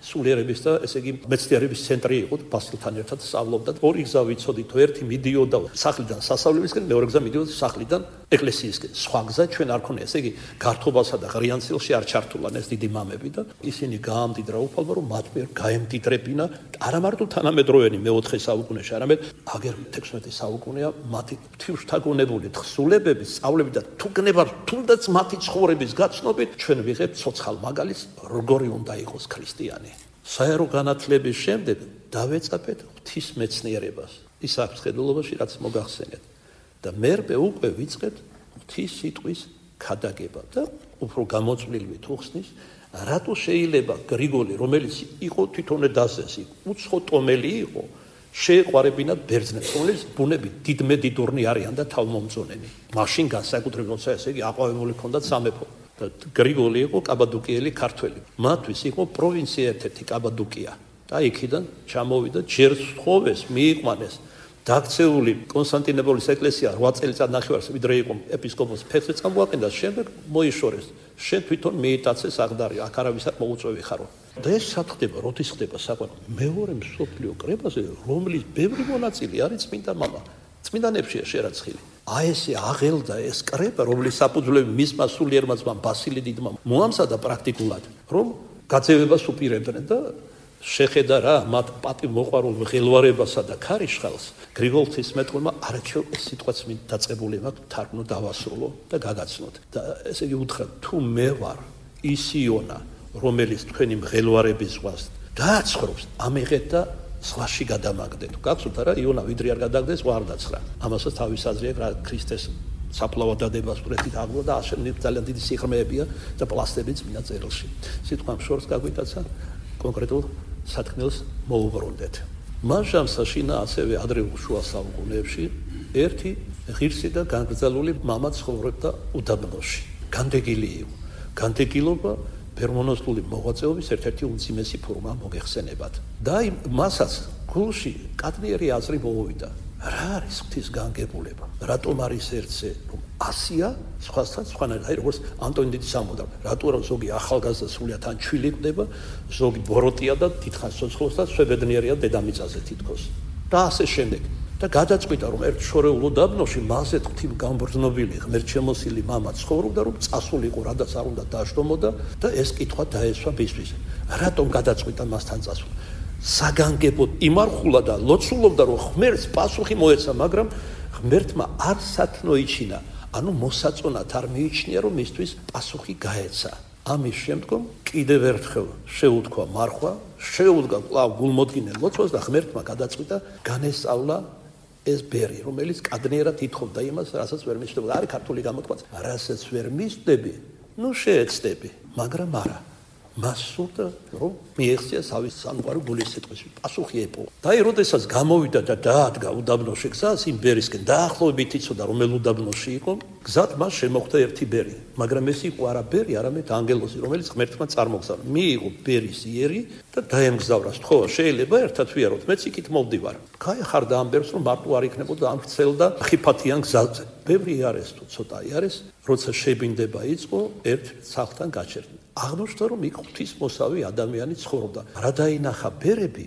სულიერების და ესე იგი მეცნიერების ცენტრი იყო, ბასილთან ერთად სწავლობდა. ორი გზა ვიცოდით, ერთი მიდიოდა სახლიდან სასწავლებისკენ, მეორე გზა მიდიოდა სახლიდან ეკლესიისკენ. სხვა გზა ჩვენ არ ქონია, ესე იგი გართობასა და ღრიანცილში არ ჩართულან ეს დიდი მამები და ისინი გაამდიდრა უფალმა, რომ მათ მიერ გაემდიდრებინა არა მარტო თანამედროვენი მე-4 საუკუნეში, არამედ აგერ 16 საუკუნეა მათი ღვთისმშთაგონებული თხზულებები, სწავლები და თუგნება თუნდაც მათი ცხოვრების გაცნობით ჩვენ ვიღებთ ცოცხალ მაგალითს, როგორი უნდა იყოს ქრისტიანი. საერო განათლების შემდეგ დავეწაფეთ ღვთის მეცნიერებას. ის აქვს ხედულობაში, რაც მოგახსენეთ. და მერბე უკვე ვიწყებთ ღვთის სიტყვის ქადაგება და უფრო გამოწვლილი თუ ხსნის რატო შეიძლება გრიგოლი რომელიც იყო თვითონ დასესი უცხო ტომელი იყო შეეყვარებინათ ბერძნებს რომელიც ბუნებით დიდმედიდურნი არიან და თავმომწონენი მაშინ განსაკუთრებით როცა ესე იგი აყვავებული ჰქონდათ სამეფო და გრიგოლი იყო კაბადოკიელი ქართველი მათთვის იყო პროვინცია ერთ-ერთი კაბადოკია და იქიდან ჩამოვიდა ჯერ სთხოვეს მიიყვანეს დაქცეული კონსტანტინოპოლის ეკლესია 8 წელიწად ნახევარს ვიდრე იყო ეპისკოპოსი ფეხზე წამოაყენდა შემდეგ მოიშორეს შენ თვითონ მიიტაცე საღდარი აქ არავისად მოუწვევი ხარო და ეს სათხდება როდის ხდება საყვარელი მეორე მსოფლიო კრებაზე რომლის ბევრი მონაწილე არის წმინდა მამა წმინდანებშია შერაცხილი აი ესე აღელდა ეს კრება რომლის საფუძვლები მისმა სულიერმა ძმამ ბასილი დიდმა მოამზადა პრაქტიკულად რომ გაძევებას უპირებდნენ და შეხედა რა მათ პატივმოყვარულ ღელვარებასა და ქარიშხალს გრიგოლ ღვთისმეტყველმა არაჩვეულ ეს სიტყვაც დაწყებული მაქვს თარგმნო დავასრულო და გაგაცნოთ და ესე იგი უთხრა თუ მე ვარ ის იონა რომელიც თქვენი მღელვარების ზღვას დააცხრობს ამიღეთ და ზღვაში გადამაგდეთ გახსოვთ რა იონა ვიდრე არ გადაგდეს ზღვა არ დაცხრა ამასაც თავის აზრი აქვს რა ქრისტეს საფლავად დადებას ვრეთით აღგო და ძალიან დიდი სიღრმეებია და პლასტები წმინდა წერილში სიტყვა შორს გაგვიტაცა კონკრეტულ სათქმელს მოუბრუნდეთ. მან შამსაშინა ასევე ადრეულ შუა საუკუნეებში ერთი ღირსი და განგრძელული მამა ცხოვრობდა უდაბნოში. განდეგილი იყო. განდეგილობა ფერმონოსლული მოღვაწეობის ერთ-ერთი უმძიმესი ფორმა მოგეხსენებათ. და მასაც გულში კადნიერი აზრი მოუვიდა. რა არის ღვთის განგებულება? რატომ არის ერთზე რომ ასია სხვასთან სხვანაირად აი როგორც ანტონი დიდის ამბობდა რატო რომ ზოგი ახალგაზრდა სულიად ან ჩვილი ხდება ზოგი ბოროტია და დიდხანს ცოცხლობს და შვებედნიერია დედამიწაზე თითქოს და ასე შემდეგ და გადაწყვიტა რომ ერთ შორეულ უდაბნოში მასეთ ღვთივ გამბრძნობილი ღმერთშემოსილი მამა ცხოვრობდა რომ წასულიყო რადაც არ უნდა დააშტომოდა და ეს კითხვა დაესვა ბისთვის რატომ გადაწყვიტა მასთან წასვლა საგანგებოდ იმარხულა და ლოცულობდა რომ ღმერთს პასუხი მოეცა მაგრამ ღმერთმა არ სათნოიჩინა ანუ მოსაწონად არ მიიჩნია რომ მისთვის პასუხი გაეცა ამის შემდგომ კიდევ ერთხელ შეუთქვა მარხვა შეუდგა კვლავ გულმოდგინე ლოცვას და ღმერთმა გადაწყვიტა განესწავლა ეს ბერი რომელიც კადნიერად ითხოვდა იმას რასაც ვერ მისდევდა არის ქართული გამოთქვაც რასაც ვერ მისდები ნუ შეეცდები მაგრამ არა მას სურდა რომ მიეღწია სავის სამყარო გულის სიტყვის პასუხი ეპოვა და აი როდესაც გამოვიდა და დაადგა უდაბნოში გზას იმ ბერისკენ დაახლოებით იცოდა რომელ უდაბნოში იყო გზად მას შემოხვდა ერთი ბერი მაგრამ ეს იყო არა ბერი არამედ ანგელოზი რომელიც ღმერთმა წარმოგზავნა მიიღო ბერის იერი და დაემგზავრა თქო შეიძლება ერთად ვიაროთ მეც იქით მოვდივარ გაეხარდა ამ ბერს რომ მარტო არ იქნებოდა ამ ვრცელ და ხიფათიან გზაზე ბევრი არის თუ ცოტა არის როცა შებინდება იწყო ერთ სახლთან გაჩერდა აღმოჩნდა რომ იქ ღვთისმოსავი ადამიანი ცხოვრობდა რა დაინახა ბერები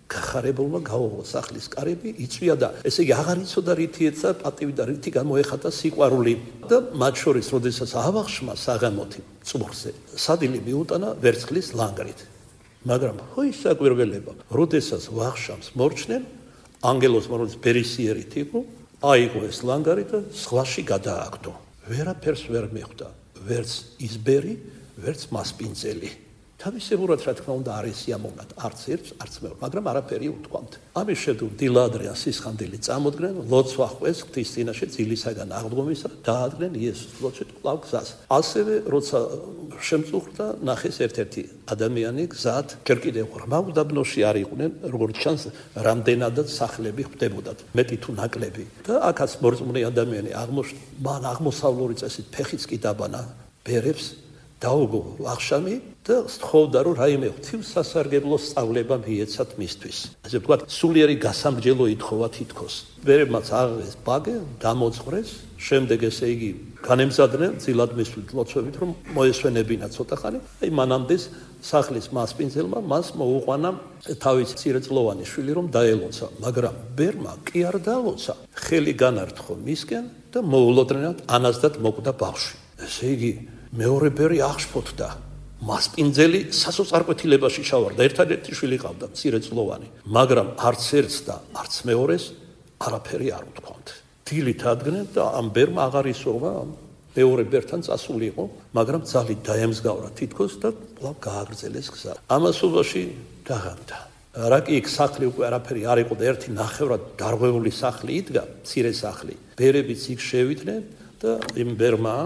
გახარებულმა გაუღო სახლის კარები იწვია და ესე იგი აღარ იცოდა რითი ეცა პატივი და რითი გამოეხატა სიყვარული და მათ შორის როდესაც ავახშმა საღამოთი წუხზე სადილი მიუტანა ვერცხლის ლანგრით მაგრამ ხო ის საკვირველება როდესაც ვახშამს მორჩნენ ანგელოს რომელიც ბერისიერით იყო აიღო ეს ლანგარი და ზღვაში გადააგდო ვერაფერს ვერ მიხვდა ვერც ის ბერი ვერც მასპინძელი თავისებურად რა თქმა უნდა არის სიამოვნად არც ერთს არც მეორე მაგრამ არაფერი უთქვამთ ამის შემდგომ დილადრიან სისხანდილი წამოდგნენ ლოცვა ხვეს ღვთის წინაშე ძილისაგან აღდგომისა დაადგნენ იესოს ლოცვით კვლავ გზას ასევე როცა შემწუხდა ნახეს ერთ-ერთი ადამიანი გზად ჯერ კიდევ ღრმა უდაბნოში არ იყვნენ როგორც ჩანს რამდენადაც სახლები ხვდებოდათ მეტი თუ ნაკლები და აქაც მორწმუნე ადამიანი აღმოჩნდა მან აღმოსავლური წესით ფეხიც კი დაბანა ბერებს დაუგო ვახშამი და სთხოვდა რომ რაიმე ღვთისასარგებლო სწავლება მიეცათ მისთვის. ასე ვთქვათ, სულიერი გასამრჯელო ითხოვა თითქოს. ბერებმაც აღეს ბაგე დამოწყრეს, შემდეგ ესე იგი განემზადნენ ძილად მისვლით ლოცვებით რომ მოესვენებინა ცოტა ხანი. აი მანამდეს სახლის მასპინძელმა მას მოუყვანა თავის მცირეწლოვანი შვილი რომ დაელოცა, მაგრამ ბერმა კი არ დაალოცა. ხელი განართხო მისკენ და მოულოდნელად ანაზდად მოკვდა ბავშვი. ესე იგი მეორე ბერი აღშფოთდა მასპინძელი სასოწარკვეთილებაში ჩავარდა ერთადერთი შვილი ყავდა მცირეწლოვანი მაგრამ არც ერთს და არც მეორეს არაფერი არ უთქვამთ დილით ადგნენ და ამ ბერმა აღარ ისურვა მეორე ბერთან წასულიყო მაგრამ ძალით დაემსგავრა თითქოს და კვლავ გააგრძელეს გზა ამასობაში დაღამდა რა კი იქ სახლი უკვე არაფერი არ იყო და ერთი ნახევრად დარღვეული სახლი იდგა მცირე სახლი ბერებიც იქ შევიდნენ და იმ ბერმა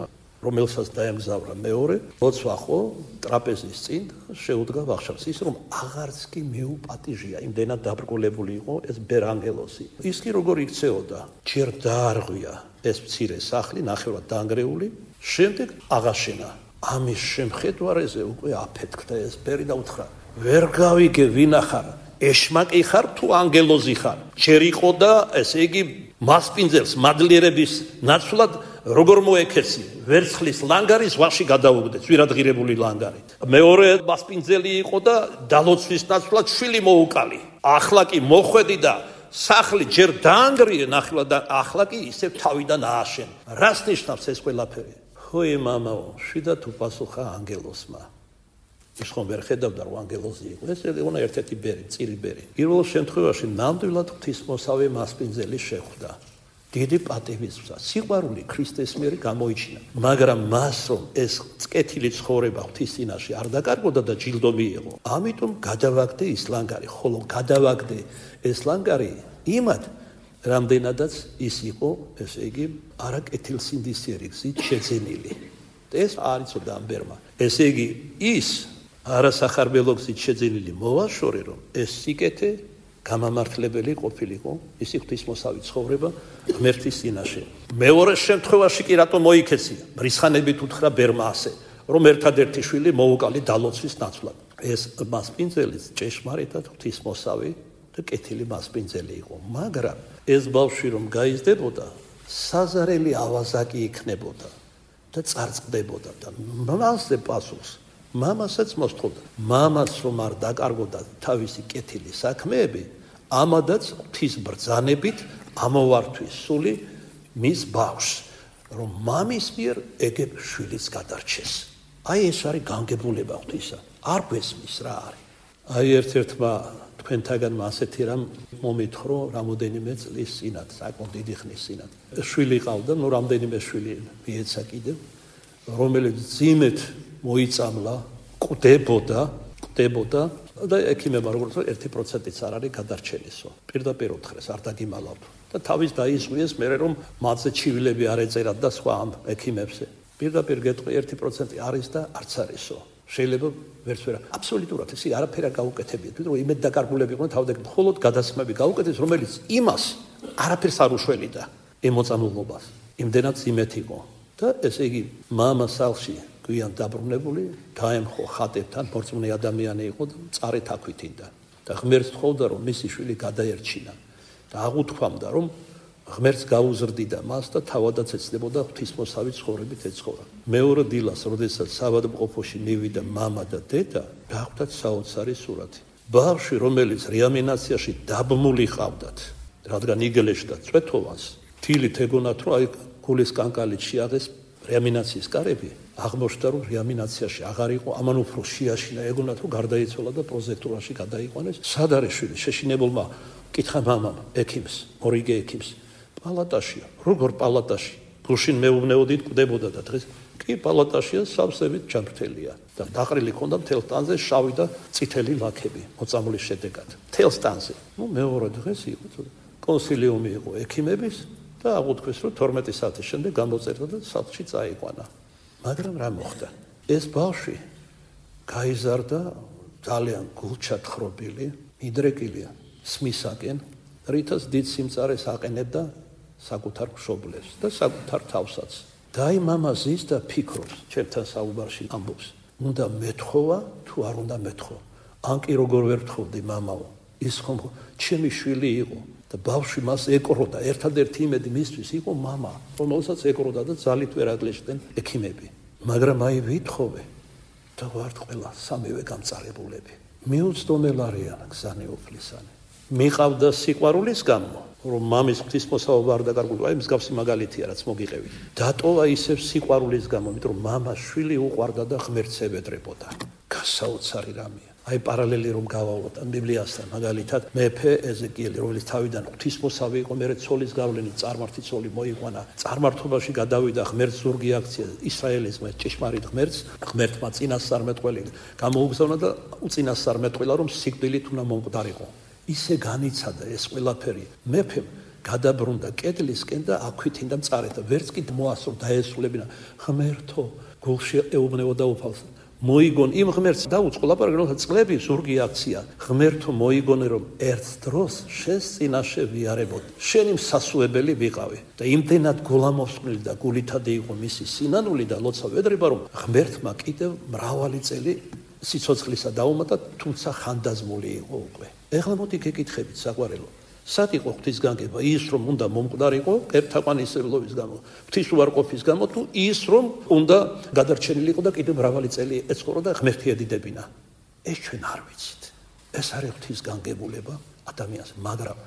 რომელსაც დაემგზავრა მეორე, ლოცვა ხო ტრაპეზის წინ შეუდგა ვახშამს ის რომ აღარც კი მიუპატიჟია, იმდენად დაბრკოლებული იყო ეს ბერანგელოსი. ის კი როგორ იქცეოდა, ჯერ დაარღვია ეს მცირე სახლი, ნახევრად დაანგრეული, შემდეგ აღაშენა. ამის შემხედვარეზე უკვე აფეთქდა ეს ბერი და უთხრა: ვერ გავიგე ვინ ახარ, ეშმაკი ხარ თუ ანგელოზი ხარ? ჯერ იყო და ესე იგი მასპინძელს მადლიერების ნაცვლად როგორ მოეკეცი? ვერცხლის ლანგარი ზღვაში გადაუგდე, ძვირადღირებული ლანგარი. მეორე მასპინძელი იყო და დალოცვის ნაცვლად შვილი მოუკალი. ახლა კი მოხვედი და სახლი ჯერ დაანგრიე ნახლა და ახლა კი ისევ თავიდან ააშენ. რას ნიშნავს ეს ყველაფერი? ხოი მამაო, შვიდად უპასუხა ანგელოსმა. ის ხომ ვერ ხედავდა რომ ანგელოზი იყო. ეს იყო ერთ-ერთი ბერი, წირი ბერი. პირველ შემთხვევაში ნამდვილად ღვთისმოსავე მასპინძელი შეხვდა. დიდი პატივისცემა, სიყვარული ქრისტეს მიერ გამოიჩინა. მაგრამ მას რომ ეს წკეთილი ცხოვრება ღვთის წინაშე არ დაკარგოდა და ჯილდო მიიღო, ამიტომ გადავაგდე ის ლანგარი, ხოლო გადავაგდე ეს ლანგარი იმად, რამდენადაც ის იყო, ესე იგი, არაკეთილსინდისიერი გზით შეძენილი. ეს არ იცოდა ამ ბერმა. ესე იგი, ის არასახარბელო გზით შეძენილი მოვაშორე, რომ ეს სიკეთე გამამართლებელი ყოფილიყო, ისი ღვთისმოსავი ცხოვრება ღმერთის წინაშე. მეორე შემთხვევაში კი რატომ მოიქეცია? მრისხანებით უთხრა ბერმა ასე, რომ ერთადერთი შვილი მოუკალი დალოცვის ნაცვლად. ეს მასპინძელიც ჭეშმარიტად ღვთისმოსავი და კეთილი მასპინძელი იყო, მაგრამ ეს ბავშვი რომ გაიზრდებოდა, საზარელი ავაზაკი იქნებოდა და წარწყდებოდა და მასზე პასუხს მამასაც მოსთხოვდა. მამაც რომ არ დაკარგოდა თავისი კეთილი საქმეები, ამადაც ღვთის ბრძანებით ამოვართვის სული მის ბავშვს, რომ მამის მიერ ეგებ შვილიც გადარჩეს. აი ეს არის განგებულება ღვთისა. არ გვესმის რა არის. აი ერთ-ერთმა თქვენთაგანმა ასეთი რამ მომითხოვრო რამოდენიმე წლის წინათ, საკმაოდ დიდი ხნის წინათ. შვილი ყავდა, ნუ რამდენიმე შვილი მიეცა კიდევ, რომელიც ძიმეთ მოიწამლა, კვდებოდა და ექიმებმა როგორც 1%-იც არ არის გადარჩენისო. პირდაპირ უთხრეს, არ დაგიმალავთ. და თავის დაისვიეს მერე რომ მათზე ჩივილები არ ეწერათ და სხვა ამ ექიმებზე. პირდაპირ გეტყვი 1% არის და არც არისო. შეიძლება ვერც ვერა. აბსოლუტურად ეს არაფერი არ გაუკეთებიათ, ვიდრე იმედ დაკარგულები იყვნენ თავდაგ მხოლოდ გადასხმები გაუკეთეს, რომელიც იმას არაფერს არ უშველიდა ემოწამულობას. იმდენად იმეთ იყო. და ესე იგი მამა სახლში გვიან დაბრუნებული, დაემხო ხატებთან, მორწმუნე ადამიანი იყო და წარეთ აქვითინდა. და ღმერთს თხოვდა რომ მისი შვილი გადაერჩინა. და აღუთქვამდა რომ ღმერთს გაუზრდიდა მას და თავადაც ეცნებოდა ღვთისმოსავი ცხოვრებით ეცხოვრა. მეორე დილას, როდესაც საავადმყოფოში მივიდა მამა და დედა, გახვდათ საოცარი სურათი. ბავშვი, რომელიც რეანიმაციაში დაბმული ყავდათ, რადგან იგელეშდა წვეთოვანს, თილით ეგონათ რომ აი გულის კანკალით შეაღეს რეანიმაციის კარები, აღმოჩნდა რომ რეანიმაციაში აღარ იყო, ამან უფრო შეაშინა, ეგონათ რომ გარდაიცვალა და პროზექტურაში გადაიყვანეს. სად არის შვილი? შეშინებულმა კითხა მამამ ექიმს, მორიგე ექიმს. პალატაშია. როგორ პალატაში? გუშინ მეუბნეოდით კვდებოდა და დღეს კი პალატაშია, სავსებით ჯანმრთელია. და დაყრილი ქონდა მთელ ტანზე შავი და წითელი ლაქები მოწამვლის შედეგად. მთელ ტანზე. ნუ მეორე დღეს იყო კონსილიუმი იყო ექიმების და აღუთქვეს რომ 12 საათის შემდეგ გამოწერდა და სახლში წაიყვანა. მაგრამ რა მოხდა? ეს ბავშვი გაიზარდა ძალიან გულჩათხრობილი, მიდრეკილია სმისაკენ, რითაც დიდ სიმწარეს აყენებდა საკუთარ მშობლებს და საკუთარ თავსაც. და აი მამა ზის და ფიქრობს, ჩემთან საუბარში ამბობს, უნდა მეთხოვა თუ არ უნდა მეთხოვა. ან კი როგორ ვერ თხოვდი მამაო, ის ხომ ჩემი შვილი იყო და ბავშვი მას ეკროდა, ერთადერთი იმედი მისთვის იყო მამა, რომელსაც ეკროდა და ძალით ვერ აგლეშდნენ ექიმები. მაგრამ აი ვითხოვე და ვართ ყველა სამივე გამწარებულები. მიუწდომელ არიან გზანი უფლისანი. მიყავდა სიყვარულის გამო, რომ მამის ღვთისმოსავობა არ დაკარგულიყო, აი მსგავსი მაგალითია, რაც მოგიყევით. დატოვა ისევ სიყვარულის გამო, იმიტომ რომ მამა შვილი უყვარდა და ღმერთს ევედრებოდა. გასაოცარი რამეა. აი პარალელი რომ გავავლოთ ამ ბიბლიასთან, მაგალითად მეფე ეზეკიელი, რომელიც თავიდან ღვთისმოსავი იყო, მერე ცოლის გავლენით წარმართი ცოლი მოიყვანა, წარმართობაში გადავიდა, ღმერთს ზურგი აქცია ისრაელისმა, ჭეშმარიტ ღმერთმა წინასწარმეტყველი გამოუგზავნა და უწინასწარმეტყველა რომ სიკვდილით უნდა მომკვდარიყო. ისე განიცადა ეს ყველაფერი მეფემ გადაბრუნდა კედლისკენ და აქვითინდა მწარეთ და ვერც კი მოასწრო დაესრულებინა ღმერთო გულში ეუბნებოდა უფალს მოიგონ იმ ღმერთს დაუწყო ლაპარაკი რომ წყლები ზურგი აქცია ღმერთო მოიგონე რომ ერთ დროს შენს წინაშე ვიარებოდ შენი მსასუებელი ვიყავი და იმდენად გულამოსყნილი და გულითადი იყო მისი სინანული და ლოცა ვედრება რომ ღმერთმა კიდევ მრავალი წელი სიცოცხლისა დაუმატა თუმცა ხანდაზმული იყო უკვე ეხლა მოდი გეკითხებით საყვარელო სად იყო ღვთისგანგება ის რომ უნდა მომკვდარიყო ერთაყვანისმცემლობის გამო ღვთისუარყოფის გამო თუ ის რომ უნდა გადარჩენილიყო და კიდევ მრავალი წელი ეცხოვრო და ღმერთი ედიდებინა ეს ჩვენ არ ვიცით ეს არის ღვთისგანგებულება ადამიანს მაგრამ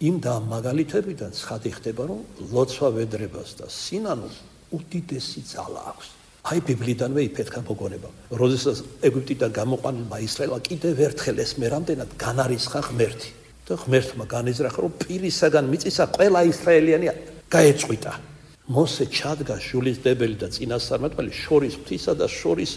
იმ და ამ მაგალითებიდან ცხადი ხდება რომ ლოცვა ვედრებას და სინანულს უდიდესი ძალა აქვს აი ბიბლიიდანვე იფეთქა მოგონება როდესაც ეგვიპტიდან გამოყვანილმა ისრაელმა კიდევ ერთხელ ეს მე რამდენად განარისხა ღმერთი და ღმერთმა განიზრახა რომ პირისაგან მიწისა ყველა ისრაელიანი გაეწყვიტა მოსე ჩადგა ჟულისდებელი და წინასწარმეტყველი შორის ღვთისა და შორის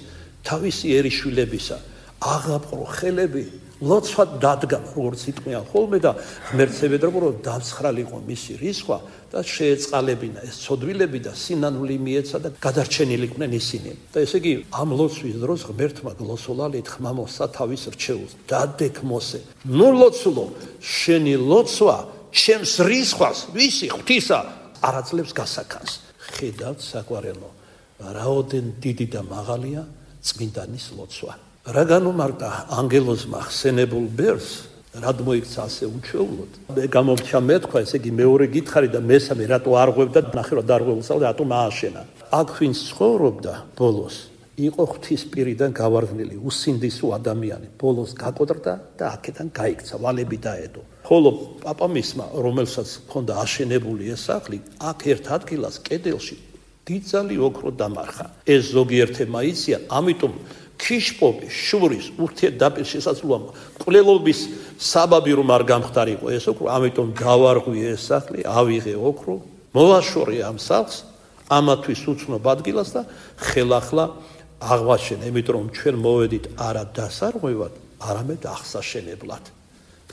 თავისი ერიშვილებისა აღაპყრო ხელები ლოცვა დადგა როგორც იტყვიან ხოლმე და ღმერთს ევედრებო რომ დამცხრალიყო მისი რისხვა და შეეწყალებინა ეს ცოდვილები და სინანული მიეცა და გადარჩენილიყვნენ ისინი და ესე იგი ამ ლოცვის დროს ღმერთმა გლოსოლალით ხმამოსა თავის რჩეულს დადეკ მოსე ნუ ლოცულო შენი ლოცვა ჩემს რისხვას ვისი ღვთისა არაძლებს გასაქანს ხედავთ საყვარელო რაოდენ დიდი და მაღალია წმინდანის ლოცვა რა განუმარტა ანგელოზმა ხსენებულ ბერს რად მოიქცა ასე უჩვეულოდ მე გამომჩა მეთქვა ესე იგი მეორე გითხარი და მესამე რატო არღვევდა ნახევრად არღვეულსა და რატომ ააშენა აქ ვინც ცხოვრობდა ბოლოს იყო ღვთისპირიდან გავარდნილი უსინდისო ადამიანი ბოლოს გაკოდრდა და აქედან გაიქცა ვალები დაედო ხოლო პაპამისმა რომელსაც ჰქონდა აშენებული ეს სახლი აქ ერთ ადგილას კედელში დიდძალი ოქრო დამარხა ეს ზოგიერთებმა იციან ამიტომ ქიშპობი შურის ურთიერთდაპირ შესაძლოა კვლელობის საბაბი რომ არ გამხდარიყო ეს ოქრო ამიტომ გავარღვი ეს სახლი ავიღე ოქრო მოვაშორე ამ სახლს ამათვის უცნობ ადგილას და ხელახლა აღვაშენე იმიტომ რომ ჩვენ მოვედით არა დასარღვევად არამედ აღსაშენებლად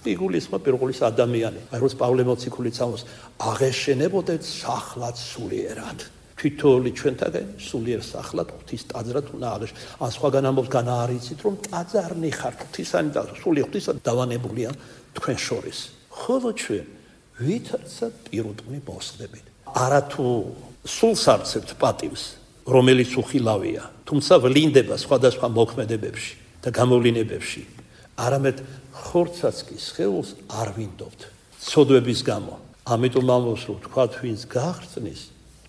იგულისხმება პირველის ადამიანი აი როგორც პავლე მოციქულიც ამბობს აღეშენებოდეთ სახლად სულიერად თვითონი ჩვენთაგან სულიერ სახლად ღვთის ტაძრად უნდა აღეშ ან სხვაგან ამბობს განაარიცით რომ ტაძარნი ხართ ღვთისანი და სული ღვთისა დავანებულია თქვენ შორის ხოლო ჩვენ ვითარცა პირუტყვი მოსხდებით არათუ სულს არცებთ პატივს რომელიც უხილავია თუმცა ვლინდება სხვადასხვა მოქმედებებში და გამოვლინებებში არამედ ხორცაც კი სხეულს არ ვინდობთ ცოდვების გამო ამიტომ ამბობს რომ თქვათ ვინც გაღწნის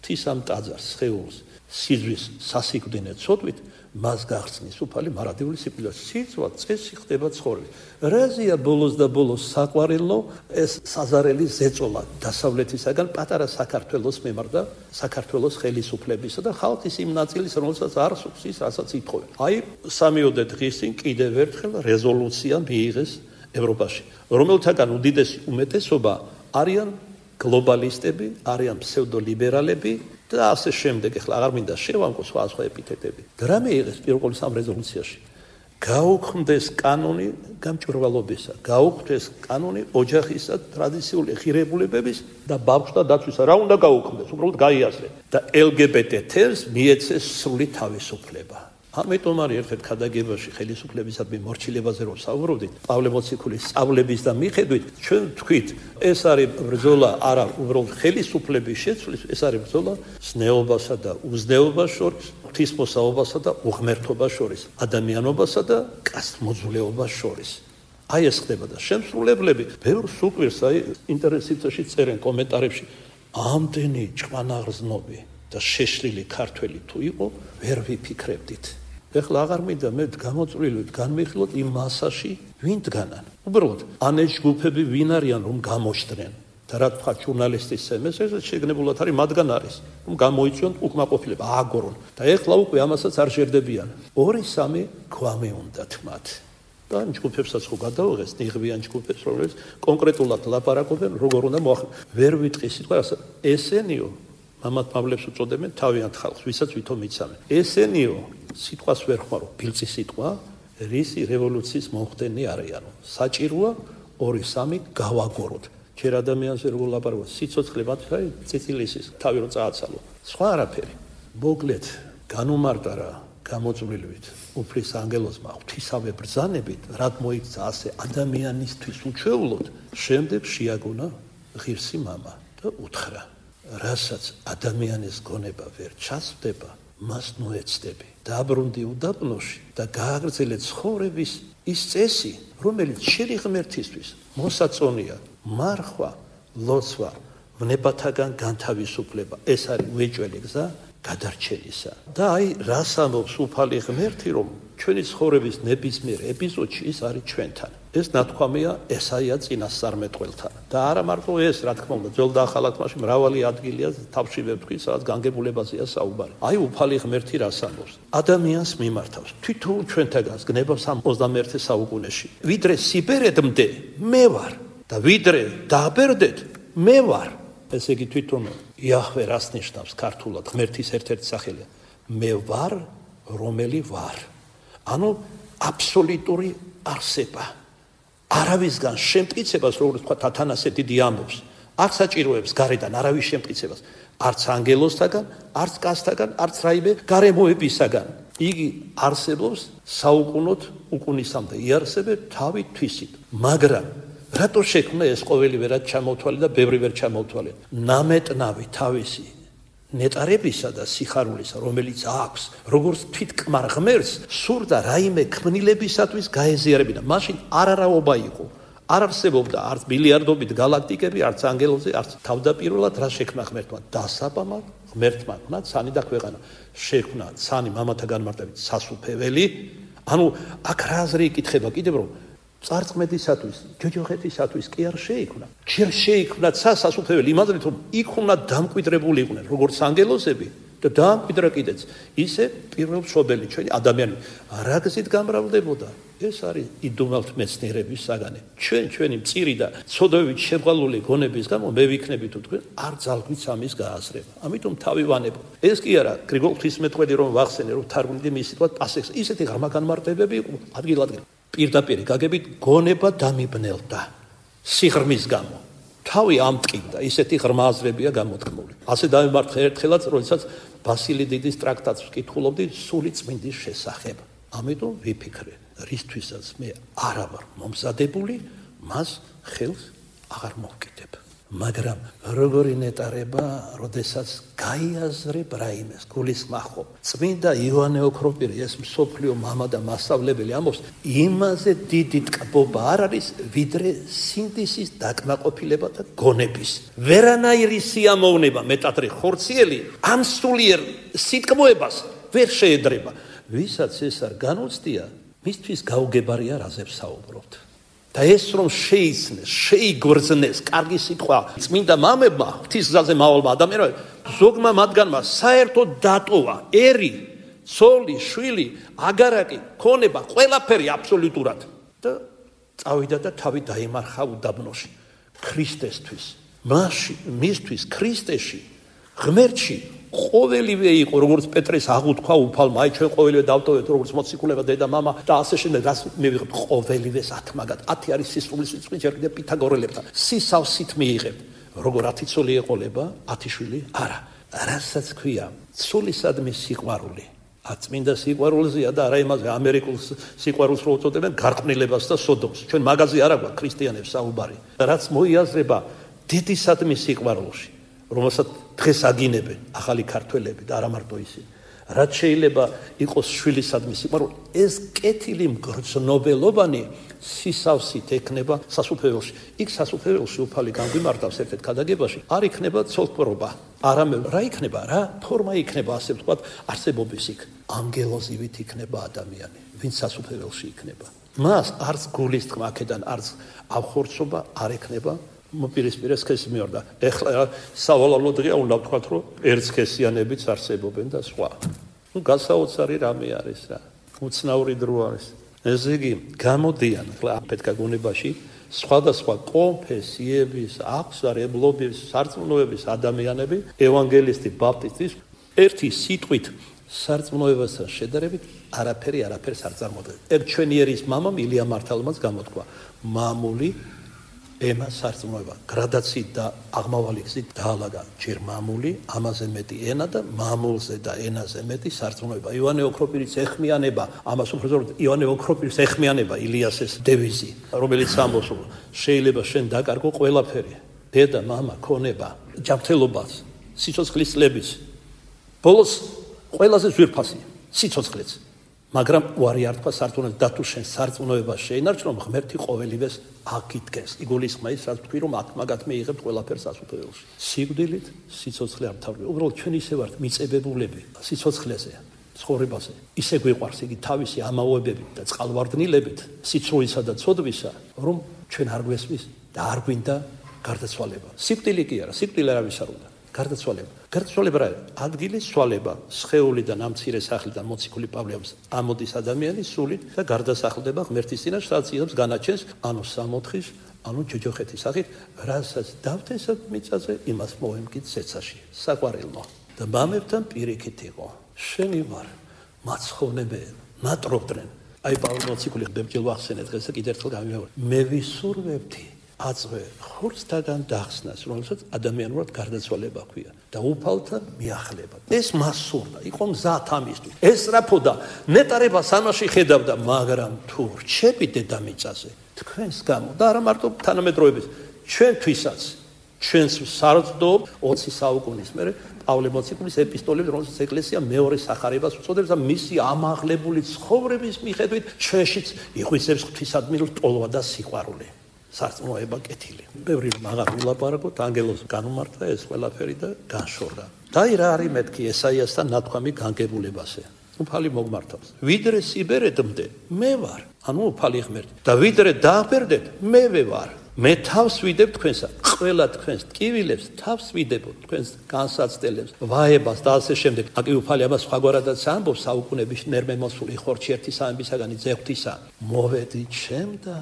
ღვთისამ ტაძარს სხეულს სიძვის სასიკვდინე ცოდვით მას გაღწნის უფალი მარადიული სიკვდილით სიცვა წესი ხდება ცხოვრებით რაზეა ბოლოს და ბოლოს საყვარელო ეს საზარელი ზეწოლა დასავლეთისაგან პატარა საქართველოს მემართ და საქართველოს ხელისუფლებისა და ხალხის იმ ნაწილის რომელსაც არ სურს ის რასაც ითხოვენ აი 3-4 დღის წინ კიდევ ერთხელ რეზოლუცია მიიღეს ევროპაში რომელთაგან უდიდესი უმეტესობა არიან გლობალისტები არიან ფსევდოლიბერალები და ასე შემდეგ ეხლა აღარ მინდა შევამკო სხვა ეპითეტები რა მიიღეს პირველ სამ რეზოლუციაში გაუქმდეს კანონი გამჭვირვალობისა გაუქმდეს კანონი ოჯახისა ტრადიციული ღირებულებების და ბავშვთა დაცვისა რა უნდა გაუქმდეს უბრალოდ გაიაზრე და LGBT-ს მიეცეს სრული თავისუფლება ამიტომ არის ერთ-ერთ ქადაგებაში ხელისუფლებისადმი მორჩილებაზე რომ საუბრობდით პავლე მოციქულის სწავლების და მიხედვით ჩვენ თქვით ეს არის ბრძოლა არა უბრალოდ ხელისუფლების შეცვლის ეს არის ბრძოლა ზნეობასა და უზნეობას შორის ღვთისმოსაობასა და უღმერთობას შორის ადამიანობასა და კაცმოძულეობას შორის აი ეს ხდება და შემსრულებლები ბევრს უყვირს აი ინტერნეტში წერენ კომენტარებში ამდენი ჭკვანაღრძნობი და შეშლილი ქართველი თუ იყო ვერ ვიფიქრებდით ეხლა აღარ მინდა მე გამოწვლილოთ განმეხილოთ იმ მასაში ვინ დგანან უბრალოდ ან ეს ჯგუფები ვინ არიან რომ გამოჩდნენ და რა თქვა ჟურნალისტის სემეს ეს შეგნებულად არის მათგან არის რომ გამოიწვიონ უკმაყოფილება ააგორონ და ეხლა უკვე ამასაც არ შერდებიან 2-3 გვამი უნდათ მათ და ამ ჯგუფებსაც ხო გადაუღეს ნიღბიან ჯგუფებს რომელიც კონკრეტულად ლაპარაკობენ როგორ უნდა ვერ ვიტყი სიტყვა ესენიო მამად პავლეს უწოდებენ თავიანთ ხალხს ვისაც ვითომ იცამენ ესენიო სიტყვას ვერ ხმარო ბილწი სიტყვა რისი რევოლუციის მომხდენი არიანო საჭიროა 2-3 გავაგოროთ ჯერ ადამიანზე როგორ ლაპარაკობს, სიცოცხლე მათი წიწილისის, თავი რომ წააცალო. სხვა არაფერი. მოკლედ, განუმარტა რა გამოწვლილივით უფლის ანგელოზმა ღვთისავე ბრძანებით, რად მოიქცა ასე ადამიანისთვის უჩვეულოდ, შემდეგ შეაგონა ღირსი მამა და უთხრა, რასაც ადამიანის გონება ვერ ჩასვდება, მას ნოეცდები. დაბრუნდი უდაბნოში და გააგრძელე ცხოვრების ის წესი, რომელიც შენი ღმერთისთვის მოსაწონია, მარხვა, ლოცვა, ვნებათაგან განთავისუფლება. ეს არის უეჭველი გზა გადარჩენისა. და აი რას ამბობს უფალი ღმერთი, რომ ჩვენი ცხოვრების ნებისმიერ ეპიზოდში ის არის ჩვენთან. ეს ნათქვამია ესაია წინასწარმეტყველთან. და არა მარტო ეს, რა თქმა უნდა, ძველ და ახალ თქმაში მრავალი ადგილია თავში ვეთქვი, სადაც განგებულებაზეა საუბარი. აი უფალი ღმერთი რას ამბობს? ადამიანს მიმართავს თითოეულ ჩვენთაგანს გნებას 21 საუკუნეში. ვიდრე სიბერედმდე მე ვარ და ვიდრე დააბერდეთ მე ვარ. ესე იგი თვითონ იაჰვე რას ნიშნავს ქართულად? ღმერთის ერთ-ერთი სახელია. მე ვარ, რომელი ვარ. ანუ აბსოლუტური არსება. არავისგან შემტკიცებას, როგორც თქვა ათანასე დიდი ამბობს, არ საჭიროებს გარედან არავის შემტკიცებას, არც ანგელოზთაგან, არც კაცთაგან, არც რაიმე გარემოებისაგან. იგი არსებობს საუკუნოდ უკუნისამდე იარსებებს თავით თვისით. მაგრამ რატო შექმნა ეს ყოველი ვერად ჩამოთვალე და ბევრი ვერ ჩამოთვალე? ნამეტნავი თავისი ნეტარებისა და სიხარულისა, რომელიც აქვს, როგორც თვითკმარ ღმერთს, სურდა რაიმე ქმნილებისათვის გაეზიარებინა. მაშინ არარაობა იყო. არ არსებობდა არც მილიარდობით გალაქტიკები, არც ანგელოზი, არც თავდაპირველად რა შექმნა ღმერთმა? დასაბამად ღმერთმა ქნა ცანი და ქვეყანა. შექმნა ცანი მამათა განმარტებით სასუფეველი. ანუ აქ რა აზრი იკითხება კიდევ რომ წარწმედისათვის, ჯოჯოხეთისათვის კი არ შეიქმნა. ჯერ შეიქმნა სასუფეველი იმადრით რომ იქ უნდა დამკვიდრებული იყვნენ როგორც ანგელოზები და დაამკვიდრა კიდეც ისე პირველშობელი ჩვენი ადამიანები. რა გზით გამრავლდებოდა? ეს არის იდუმალთ მეცნიერების საგანი. ჩვენი მწირი და ცოდვებით შეღვალული გონების გამო მე ვიქნები თუ თქვენ არ ძალგვით ამის გააზრება. ამიტომ თავი ვანებო. ეს კი არა გრიგოლ ღვთისმეტყველი რომ ვახსენე რომ თარგმნილი მის სიტყვად პასექს ისეთი ღრმა განმარტებები იყო ადგილ-ადგილ. პირდაპირ გაგებით გონება დამიბნელდა სიღრმის გამო. თავი ამტკინდა, ისეთი ღრმა აზრებია გამოთქმული. ასე დავიმართე ერთხელაც, როდესაც ბასილი დიდის ტრაქტატს ვკითხულობდი სული წმინდის შესახებ. ამიტომ ვიფიქრე, რისთვისაც მე არა ვარ მომზადებული, მას ხელს აღარ მოვკიდებ. მაგრამ როგორი ნეტარება, როდესაც გაიაზრებ რაიმეს, გულისხმობ ხო. წმინდა იოანე ოქროპირი, ეს მსოფლიო მამა და მასწავლებელი ამბობს, იმაზე დიდი ტკბობა არ არის, ვიდრე სინდისის დაკმაყოფილება და გონების. ვერანაირი სიამოვნება მეტადრე ხორციელი ამ სულიერ სიტკბოებას ვერ შეედრება. ვისაც ეს არ განუცდია, მისთვის გაუგებარია რაზე ვსაუბრობთ. და ეს რომ შეიცნეს, შეიგრძნეს, კარგი სიტყვა წმინდა მამებმა, ღვთისგზაზე მავალმა ადამიანებმა, ზოგმა მათგანმა საერთოდ დატოვა ერი, ცოლი, შვილი, აგარაკი, ქონება, ყველაფერი აბსოლუტურად და წავიდა და თავი დაიმარხა უდაბნოში ქრისტესთვის. მისთვის ქრისტეში, ღმერთში ყოველივე იყო, როგორც პეტრეს აღუთქვა უფალმა, აი ჩვენ ყოველივე დავტოვეთ, როგორც მოციქულება დედა მამა და ასე შემდეგ, რას მივიღებთ ყოველივეს ათმაგად. 10 არის სისხლის სიცხე, ჯერ კიდევ პითაგორელებთან. სისავსით მიიღებთ. როგორ 10 ცოლი ეყოლება, 10 შვილი? არა. რასაც ქვია, ცოლისადმი სიყვარული. აწმინდა სიყვარულზეა და არა იმაზე ამერიკულ სიყვარულს რო უწოდებენ გარყვნილებას და სოდომს. ჩვენ მაგაზე არა გვაქვს ქრისტიანებს საუბარი. რაც მოიაზრება დედისადმი სიყვარულში, რომელსაც დღეს აგინებენ ახალი ქართველები და არა მარტო ისინი. რაც შეიძლება იყოს შვილისადმი სიყვარული, ეს კეთილი მგრძნობელობანი სისავსით ექნება სასუფეველში. იქ სასუფეველში უფალი განგვიმარტავს ერთ-ერთ ქადაგებაში, არ იქნება ცოლქმრობა. არამედ რა იქნება, რა ფორმა იქნება, ასე ვთქვათ, არსებობის იქ. ანგელოზივით იქნება ადამიანი, ვინც სასუფეველში იქნება. მას არც გულის თქმა აქედან, არც ავხორცობა არ ექნება. მოპირისპირე სქესი მიორდა. ეხლა სავალალო დღეა, უნდა ვთქვათ, რომ ერთსქესიანებიც არსებობენ და სხვა. გასაოცარი რამე არის რა. უცნაური დრო არის. ესე იგი, გამოდიან ახლა აფეთქა გონებაში სხვადასხვა კონფესიების, აღსარებლობის, სარწმუნოების ადამიანები, ევანგელისტი, ბაპტისტი, ერთი სიტყვით სარწმუნოებასთან შედარებით არაფერს არ წარმოადგენს. ერთ ჩვენიერის მამამ ილია მართალმაც გამოთქვა, მამული ემა სარწმუნოება გრადაციით და აღმავალი გზით დაალაგა ჯერ მამული, ამაზე მეტი ენა და მამულზე და ენაზე მეტი სარწმუნოება. ივანე ოქროპირის ეხმიანება, ამას უფრო ზოგადად ივანე ოქროპირის ეხმიანება ილიასეს დევიზი, რომელიც ამბობს, შეიძლება შენ დაკარგო ყველაფერი, დედა, მამა, ქონება, ჯანმრთელობას, სიცოცხლის წლებიც. ბოლოს ყველაზე ძვირფასი სიცოცხლეც. მაგრამ უარი არ თქვა სარწმუნოებას და თუ შენ სარწმუნოებას შეინარჩუნო, ღმერთი ყოველივეს აკითხეს. იგულისხმება ის, რაც თქვი, რომ აქ მაგათ მეიღებთ ყველაფერს ასუფეველში. სიკვდილით სიცოცხლე არ თავდება. უბრალოდ ჩვენ ისე ვართ მიწებებულები სიცოცხლეზე, ცხოვრებაზე. ისე გვიყვარს იგი თავისი ამაოებებით და წყალვარდნილებით, სიცრუისა და ცოდვისა, რომ ჩვენ არ გვესმის და არ გვინდა გარდაცვალება. სიკვდილი კი არა, სიკვდილი არავის არ უნდა. გარდაცვალება. გარდაცვალება რა? ადგილის ცვალება, სხეულიდან ამ მცირე სახლიდან მოციქული პავლეობს ამოდის ადამიანის სულით და გარდასახლდება ღმერთის წინაშე, სადაც იღებს განაჩენს, ანუ სამოთხის, ანუ ჯოჯოხეთის სახით, რასაც დავთესებ მიწაზე, იმას მოვემკით ზეცაში. საყვარელო და მამებთან პირიქით იყო. შენი ვარ, მაცხოვნებე, ნატრობდნენ. აი პავლე მოციქული ბებჯელ ვახსენე დღეს და კიდევ ერთხელ გამიმეორე. მე ვისურვებდი აწვე ხორცთაგან დახსნას, რომელსაც ადამიანურად გარდაცვალება ქვია და უფალთან მიახლება. ეს მასურდა, იყო მზად ამისთვის. ესწრაფოდა, ნეტარებას ამაში ხედავდა, მაგრამ თუ რჩები დედამიწაზე, თქვენს გამო და არა მარტო თანამედროვეების, ჩვენთვისაც, ჩვენს სარწმუნოდ 20 საუკუნის მერე პავლე მოციქულის ეპისტოლები, რომელსაც ეკლესია მეორე სახარებას უწოდებს და მისი ამაღლებული ცხოვრების მიხედვით ჩვენშიც იღვიძებს ღვთისადმი ტოლვა და სიყვარული. სარწმუნოება კეთილი. ბევრი მაგარ ვილაპარაკოთ, ანგელოზ განუმარტა ეს ყველაფერი და განშორდა. დაი რა არის მეთქი ესაიასთან ნათქვამი განგებულებაზე. უფალი მოგმართავს. ვიდრე სიბერედმდე, მე ვარ. ანუ უფალი ღმერთი. და ვიდრე დააბერდეთ, მე ვარ. მე თავს ვიდებ თქვენსა, ყველა თქვენს ტკივილებს თავს ვიდებო, თქვენს განსაცდელებს, ვაებას და ასე შემდეგ. აკი უფალი ამას სხვაგვარადაც ამბობს, საუკუნეების ნერმემოსული ხორჩი ერთი სამებისაგანი ძეღვთისა. მოვედი ჩემ და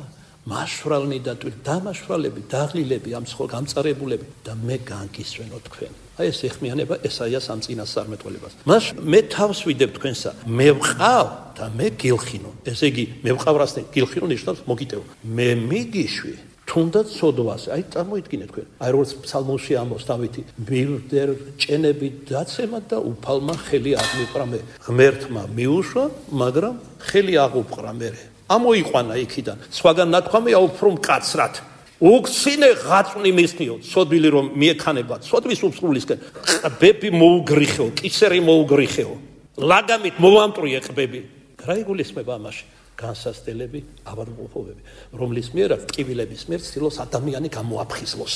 მაშვრალნი და დამაშვრალები, დაღლილები, ამ სხვა გამწარებულები და მე განგისვენო თქვენ. აი ეს ეხმიანება ესაიას ამ წინასწარმეტყველებას. მას მე თავს ვიდებ თქვენსა, მე ვყავ და მე გილხინო. ესე იგი, მე ვყავრასთან გილხინო ნიშნავს მოგიტევ. მე მიგიშვი, თუნდაც სოდვას. აი წარმოიდგინეთ თქვენ. აი როგორც ფსალმოში ამბობს დავითი, მივდერ ჭენები დაცემა და უფალმა ხელი აღმიყრა მე. ღმერთმა მიუშვა, მაგრამ ხელი აღუპყრა მე. ამოიყვანა იქიდან. სხვაგან ნათქვამია უფრო მკაცრად. უგცინე ღაწვნი მისნიო, ცოდვილი რომ მიექანება, ცოდვის უფსრულისკენ. ყბები მოუგრიხეო, კისერი მოუგრიხეო. ლაგამით მოვამტრიე ყბები. რა იგულისხმება ამაში? განსასწრებელი ავადმყოფობები, რომლის მიერაც ტკივილების მიერ ცდილობს ადამიანი გამოაფხიზლოს.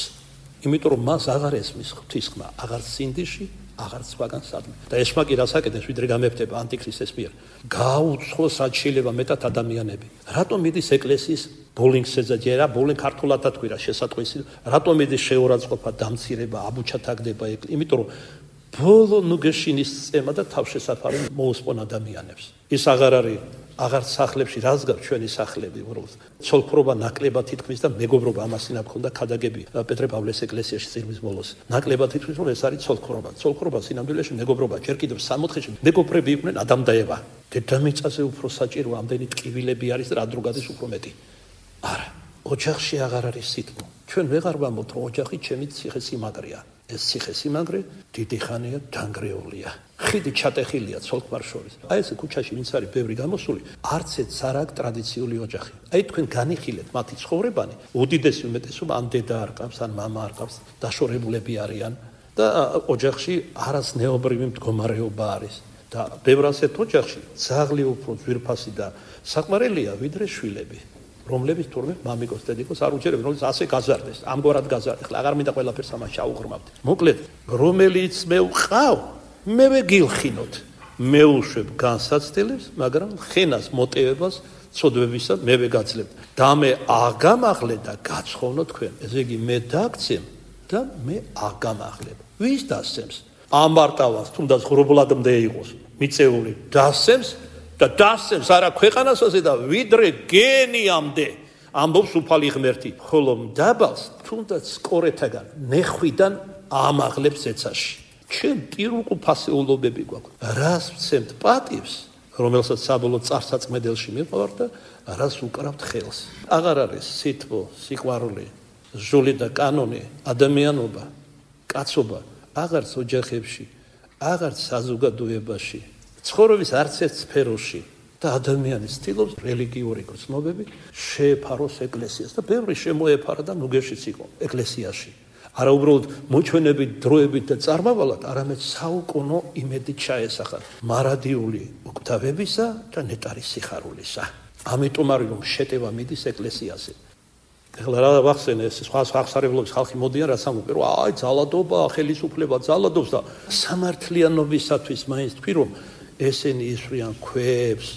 იმიტომ რომ მას აღარ ესმის ღვთისხმა, აღარ სინდიში, აღარ სხვაგან სადმე. და ესმა კი რას აკეთებს, ვიდრე გამეფთება ანტიქრისტეს მიერ. გაუცხოს რაც შეიძლება მეტად ადამიანები. რატომ მიდის ეკლესიის ბოლინგსეზე ჯერა, ბოლინგ ქართულადად თქვი რა შესატყვისი, რატომ მიდის შეურაცხყოფა, დამცირება, აბუჩათაგდება, იმიტომ რომ ბოლო ნუგეშინის წემა და თავშესაფარი მოусპონ ადამიანებს. ის აღარ არის აღარ სახლებში რას გავს ჩვენი სახლები, უბრალოდ ცოლქრობა ნაკლებად თითქმის და მეგობრობა ამასინა გქონდა ქადაგები პეტრე პავლეს ეკლესიაში წირვის ბოლოს. ნაკლებად თითქმის რომ ეს არის ცოლქრობა. ცოლქრობა სინამდვილეში მეგობრობა, ჯერ კიდევ სამოთხეში მეგობრები იყვნენ ადამ და ევა. დედამიწაზე უფრო საჭირო ამდენი ტკივილები არის და რა დრო გადის უფრო მეტი. არა, ოჯახში აღარ არის სიტყვა. ჩვენ ვეღარ ვამბობთ რომ ოჯახი ჩემი ციხესიმაგრეა. ეს ციხესიმაგრე დიდი ხანია დანგრეულია. ხიდი ჩატეხილია ცოლ-ქმარ შორის. აი ეს ქუჩაში ვინც არის ბევრი გამოსული, არც ერთ არ აქვს ტრადიციული ოჯახი. აი თქვენ განიხილეთ მათი ცხოვრებანი, უდიდესი უმეტესობა ან დედა არ ყავს, ან მამა არ ყავს, დაშორებულები არიან და ოჯახში არასნეობრივი მდგომარეობა არის. და ბევრ ასეთ ოჯახში ძაღლი უფრო ძვირფასი და საყვარელია ვიდრე შვილები. რომლებიც თურმე მამიკოს დედიკოს არ უჯერებენ, რომელიც ასე გაზარდეს, ამგვარად გაზარდეს. ახლა აღარ მინდა ყველაფერს ამას ჩაუღრმავთ. მოკლედ, რომელიც მე ვყავ, მე ვეგილხინოთ. მე უშვებ განსაცდელებს, მაგრამ ხენას მოტივებას ცოდვებისა მე ვეგაძლებ. და მე აღგამაღლე და გაცხოვნო თქვენ. ესე იგი მე დაგცემ და მე აღგამაღლებ. ვის დასცემს? ამარტავას თუნდაც ღრუბლადმდე იყოს, მიწეული დასცემს და დასცემს არა ქვეყანასაზე და ვიდრე გენიამდე ამბობს უფალი ღმერთი, ხოლო მდაბალს თუნდაც სკორეთაგან ნეხვიდან ამაღლებს ზეცაში. ჩვენ პირუკუფასეულობები გვაქვს. რას ვცემთ პატივს, რომელსაც საბოლოო წარსაწმედელში მიყავართ და რას უკრავთ ხელს. აღარ არის სითბო, სიყვარული, ჟული და კანონი, ადამიანობა, კაცობა აღარც ოჯახებში, აღარც საზოგადოებაში, ცხოვრების არც ერთ სფეროში და ადამიანის ცდილობს რელიგიური გრძნობები შეეფაროს ეკლესიას და ბევრი შემოეფარა და ნუგეშიც იყო ეკლესიაში. არა უბრალოდ მოჩვენებით, დროებით და წარმავალად, არამედ საუკუნო იმედით ჩაესახა მარადიული უკვდავებისა და ნეტარის სიხარულისა. ამიტომ არის რომ შეტევა მიდის ეკლესიაზე. ეხლა რა ვახსენე ეს სხვა აღსარებლობის ხალხი მოდიან რაც ამბობენ რომ აი ძალადობა, ხელისუფლება ძალადობს და სამართლიანობისათვის მაინც თქვი რომ ესენი ისვრიან ქვებს,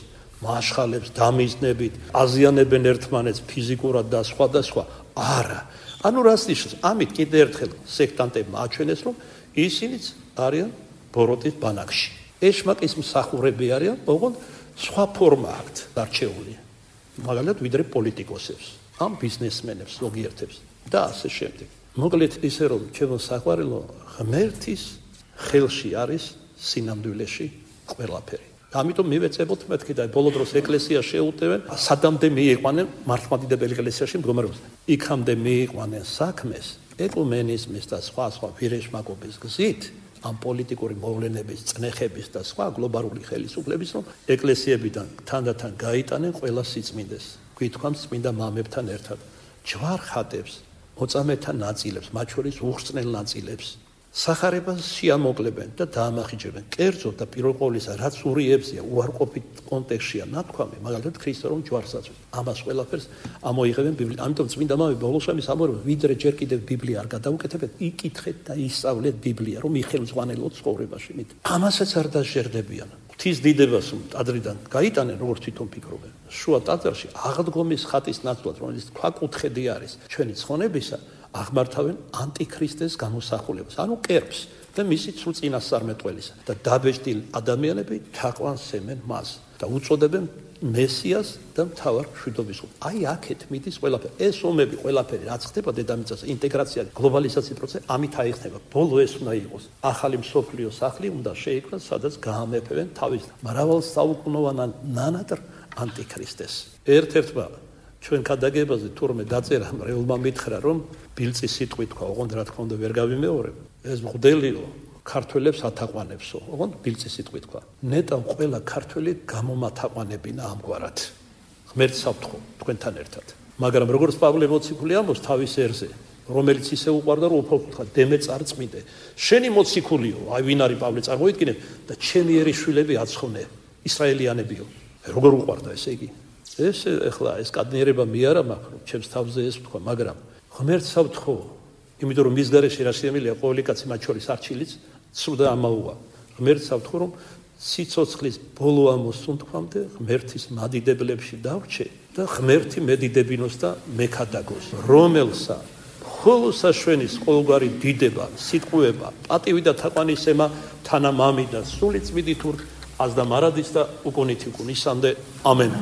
მაშხალებს დამიზნებით, აზიანებენ ერთმანეთს ფიზიკურად და სხვა. არა. ანუ რას ნიშნავს? ამით კიდე ერთხელ სექტანტებმა აჩვენეს რომ ისინიც არიან ბოროტის ბანაკში. ეშმაკის მსახურები არიან, ოღონდ სხვა ფორმა აქვთ დარჩეული. მაგალითად ვიდრე პოლიტიკოსებს, ამ ბიზნესმენებს, ზოგიერთებს და ასე შემდეგ. მოკლედ ისე რომ ჩემო საყვარელო ღმერთის ხელში არის სინამდვილეში ყველაფერი. ამიტომ მივეწებოთ მეთქი და ბოლო დროს ეკლესია შეუტევენ, სადამდე მიიყვანენ მართლმადიდებელი ეკლესიაში მდგომარეობას. იქამდე მიიყვანენ საქმეს ეკუმენიზმის და სხვა ვირეშმაკობის გზით, ამ პოლიტიკური მოვლენების, წნეხების და სხვა გლობალური ხელისუფლების რომ ეკლესიებიდან თანდათან გაიტანენ ყველა სიწმინდეს. გვითქვამს წმინდა მამებთან ერთად, ჯვარხატებს, მოწამეთა ნაწილებს, მათ შორის უხრწნელ ნაწილებს. სახარებას შეამოკლებენ და დაამახიჯებენ. კერძოდ და პირველ ყოვლისა, რაც ურიებზია, უარყოფით კონტექსტშია ნათქვამი, მაგალითად ქრისტე რომ ჯვარს აწვევს. ამას ყველაფერს ამოიღებენ ბიბლია. ამიტომ წმინდა მამები ბოლოს ამის ამბობენ, ვიდრე ჯერ კიდევ ბიბლია არ გადაუკეთებთ, იკითხეთ და ისწავლეთ ბიბლია, რომ იხელმძღვანელოთ ცხოვრებაში. ამასაც არ დაჟერდებიან. ღვთის დიდებას ტაძრიდან გაიტანენ, როგორც თვითონ ფიქრობენ. შუა ტაძარში აღდგომის ხატის ნაცვლად, რომელიც ქვაკუთხედი არის ჩვენი ცხონებისა, აღმართავენ ანტიქრისტეს გამოსახულებას, ანუ კერპს და მისი სულ წინასწარმეტყველისა და დაბეჭდილ ადამიანები თაყვანსემენ მას და უწოდებენ მესიას და მთავარ მშვიდობის. აი აქეთ მიდის ყველაფერი. ეს ომები ყველაფერი რაც ხდება დედამიწაზე, ინტეგრაცია, გლობალიზაციის პროცესი ამით აიხსნება. ბოლო ეს უნდა იყოს. ახალი მსოფლიო სახლი უნდა შეიქმნას, სადაც გაამეფებენ თავის მრავალ საუკუნოვან ნანატრ ანტიქრისტეს. ერთ-ერთმა ჩვენ ქადაგებაზე თურმე დაწერა მრევლმა მითხრა რომ ბილწი სიტყვით თქვა, ოღონდ რა თქმა უნდა ვერ გავიმეორებ. ეს მღვდელიო ქართველებს ათაყვანებსო, ოღონდ ბილწი სიტყვით თქვა. ნეტავ ყველა ქართველი გამომათაყვანებინა ამგვარად. ღმერთს ავთხო თქვენთან ერთად. მაგრამ როგორც პავლე მოციქული ამბობს თავის ერზე, რომელიც ისე უყვარდა რომ უფალ დემე წარწმიდე. შენი მოციქულიო, აი ვინ არის პავლე წარმოიდგინე და ჩემი ერისშვილები აცხოვნე, ისრაელიანებიო. როგორ უყვარდა ესე იგი? ეს ეხლა ეს კადნიერება მე არა მაქვს რომ ჩემს თავზე ეს ვთქვა, მაგრამ ღმერთს ავთხო, იმიტომ რომ მის გარეშე რა შეემილია ყოველი კაცი მათ შორის არჩილიც სულ და ამაუა. ღმერთს ავთხო რომ სიცოცხლის ბოლო ამოსუნთქვამდე ღმერთის მადიდებლებში დავრჩე და ღმერთი მედიდებინოს და მეკადაგოს, რომელსა ხოლო საშვენის ყოველგვარი დიდება, სიტყვება, პატივი და თაყვანისემა თანამამი და სული წმიდით ურ აზდა მარადის და უკუნით უკუნისამდე ამენ.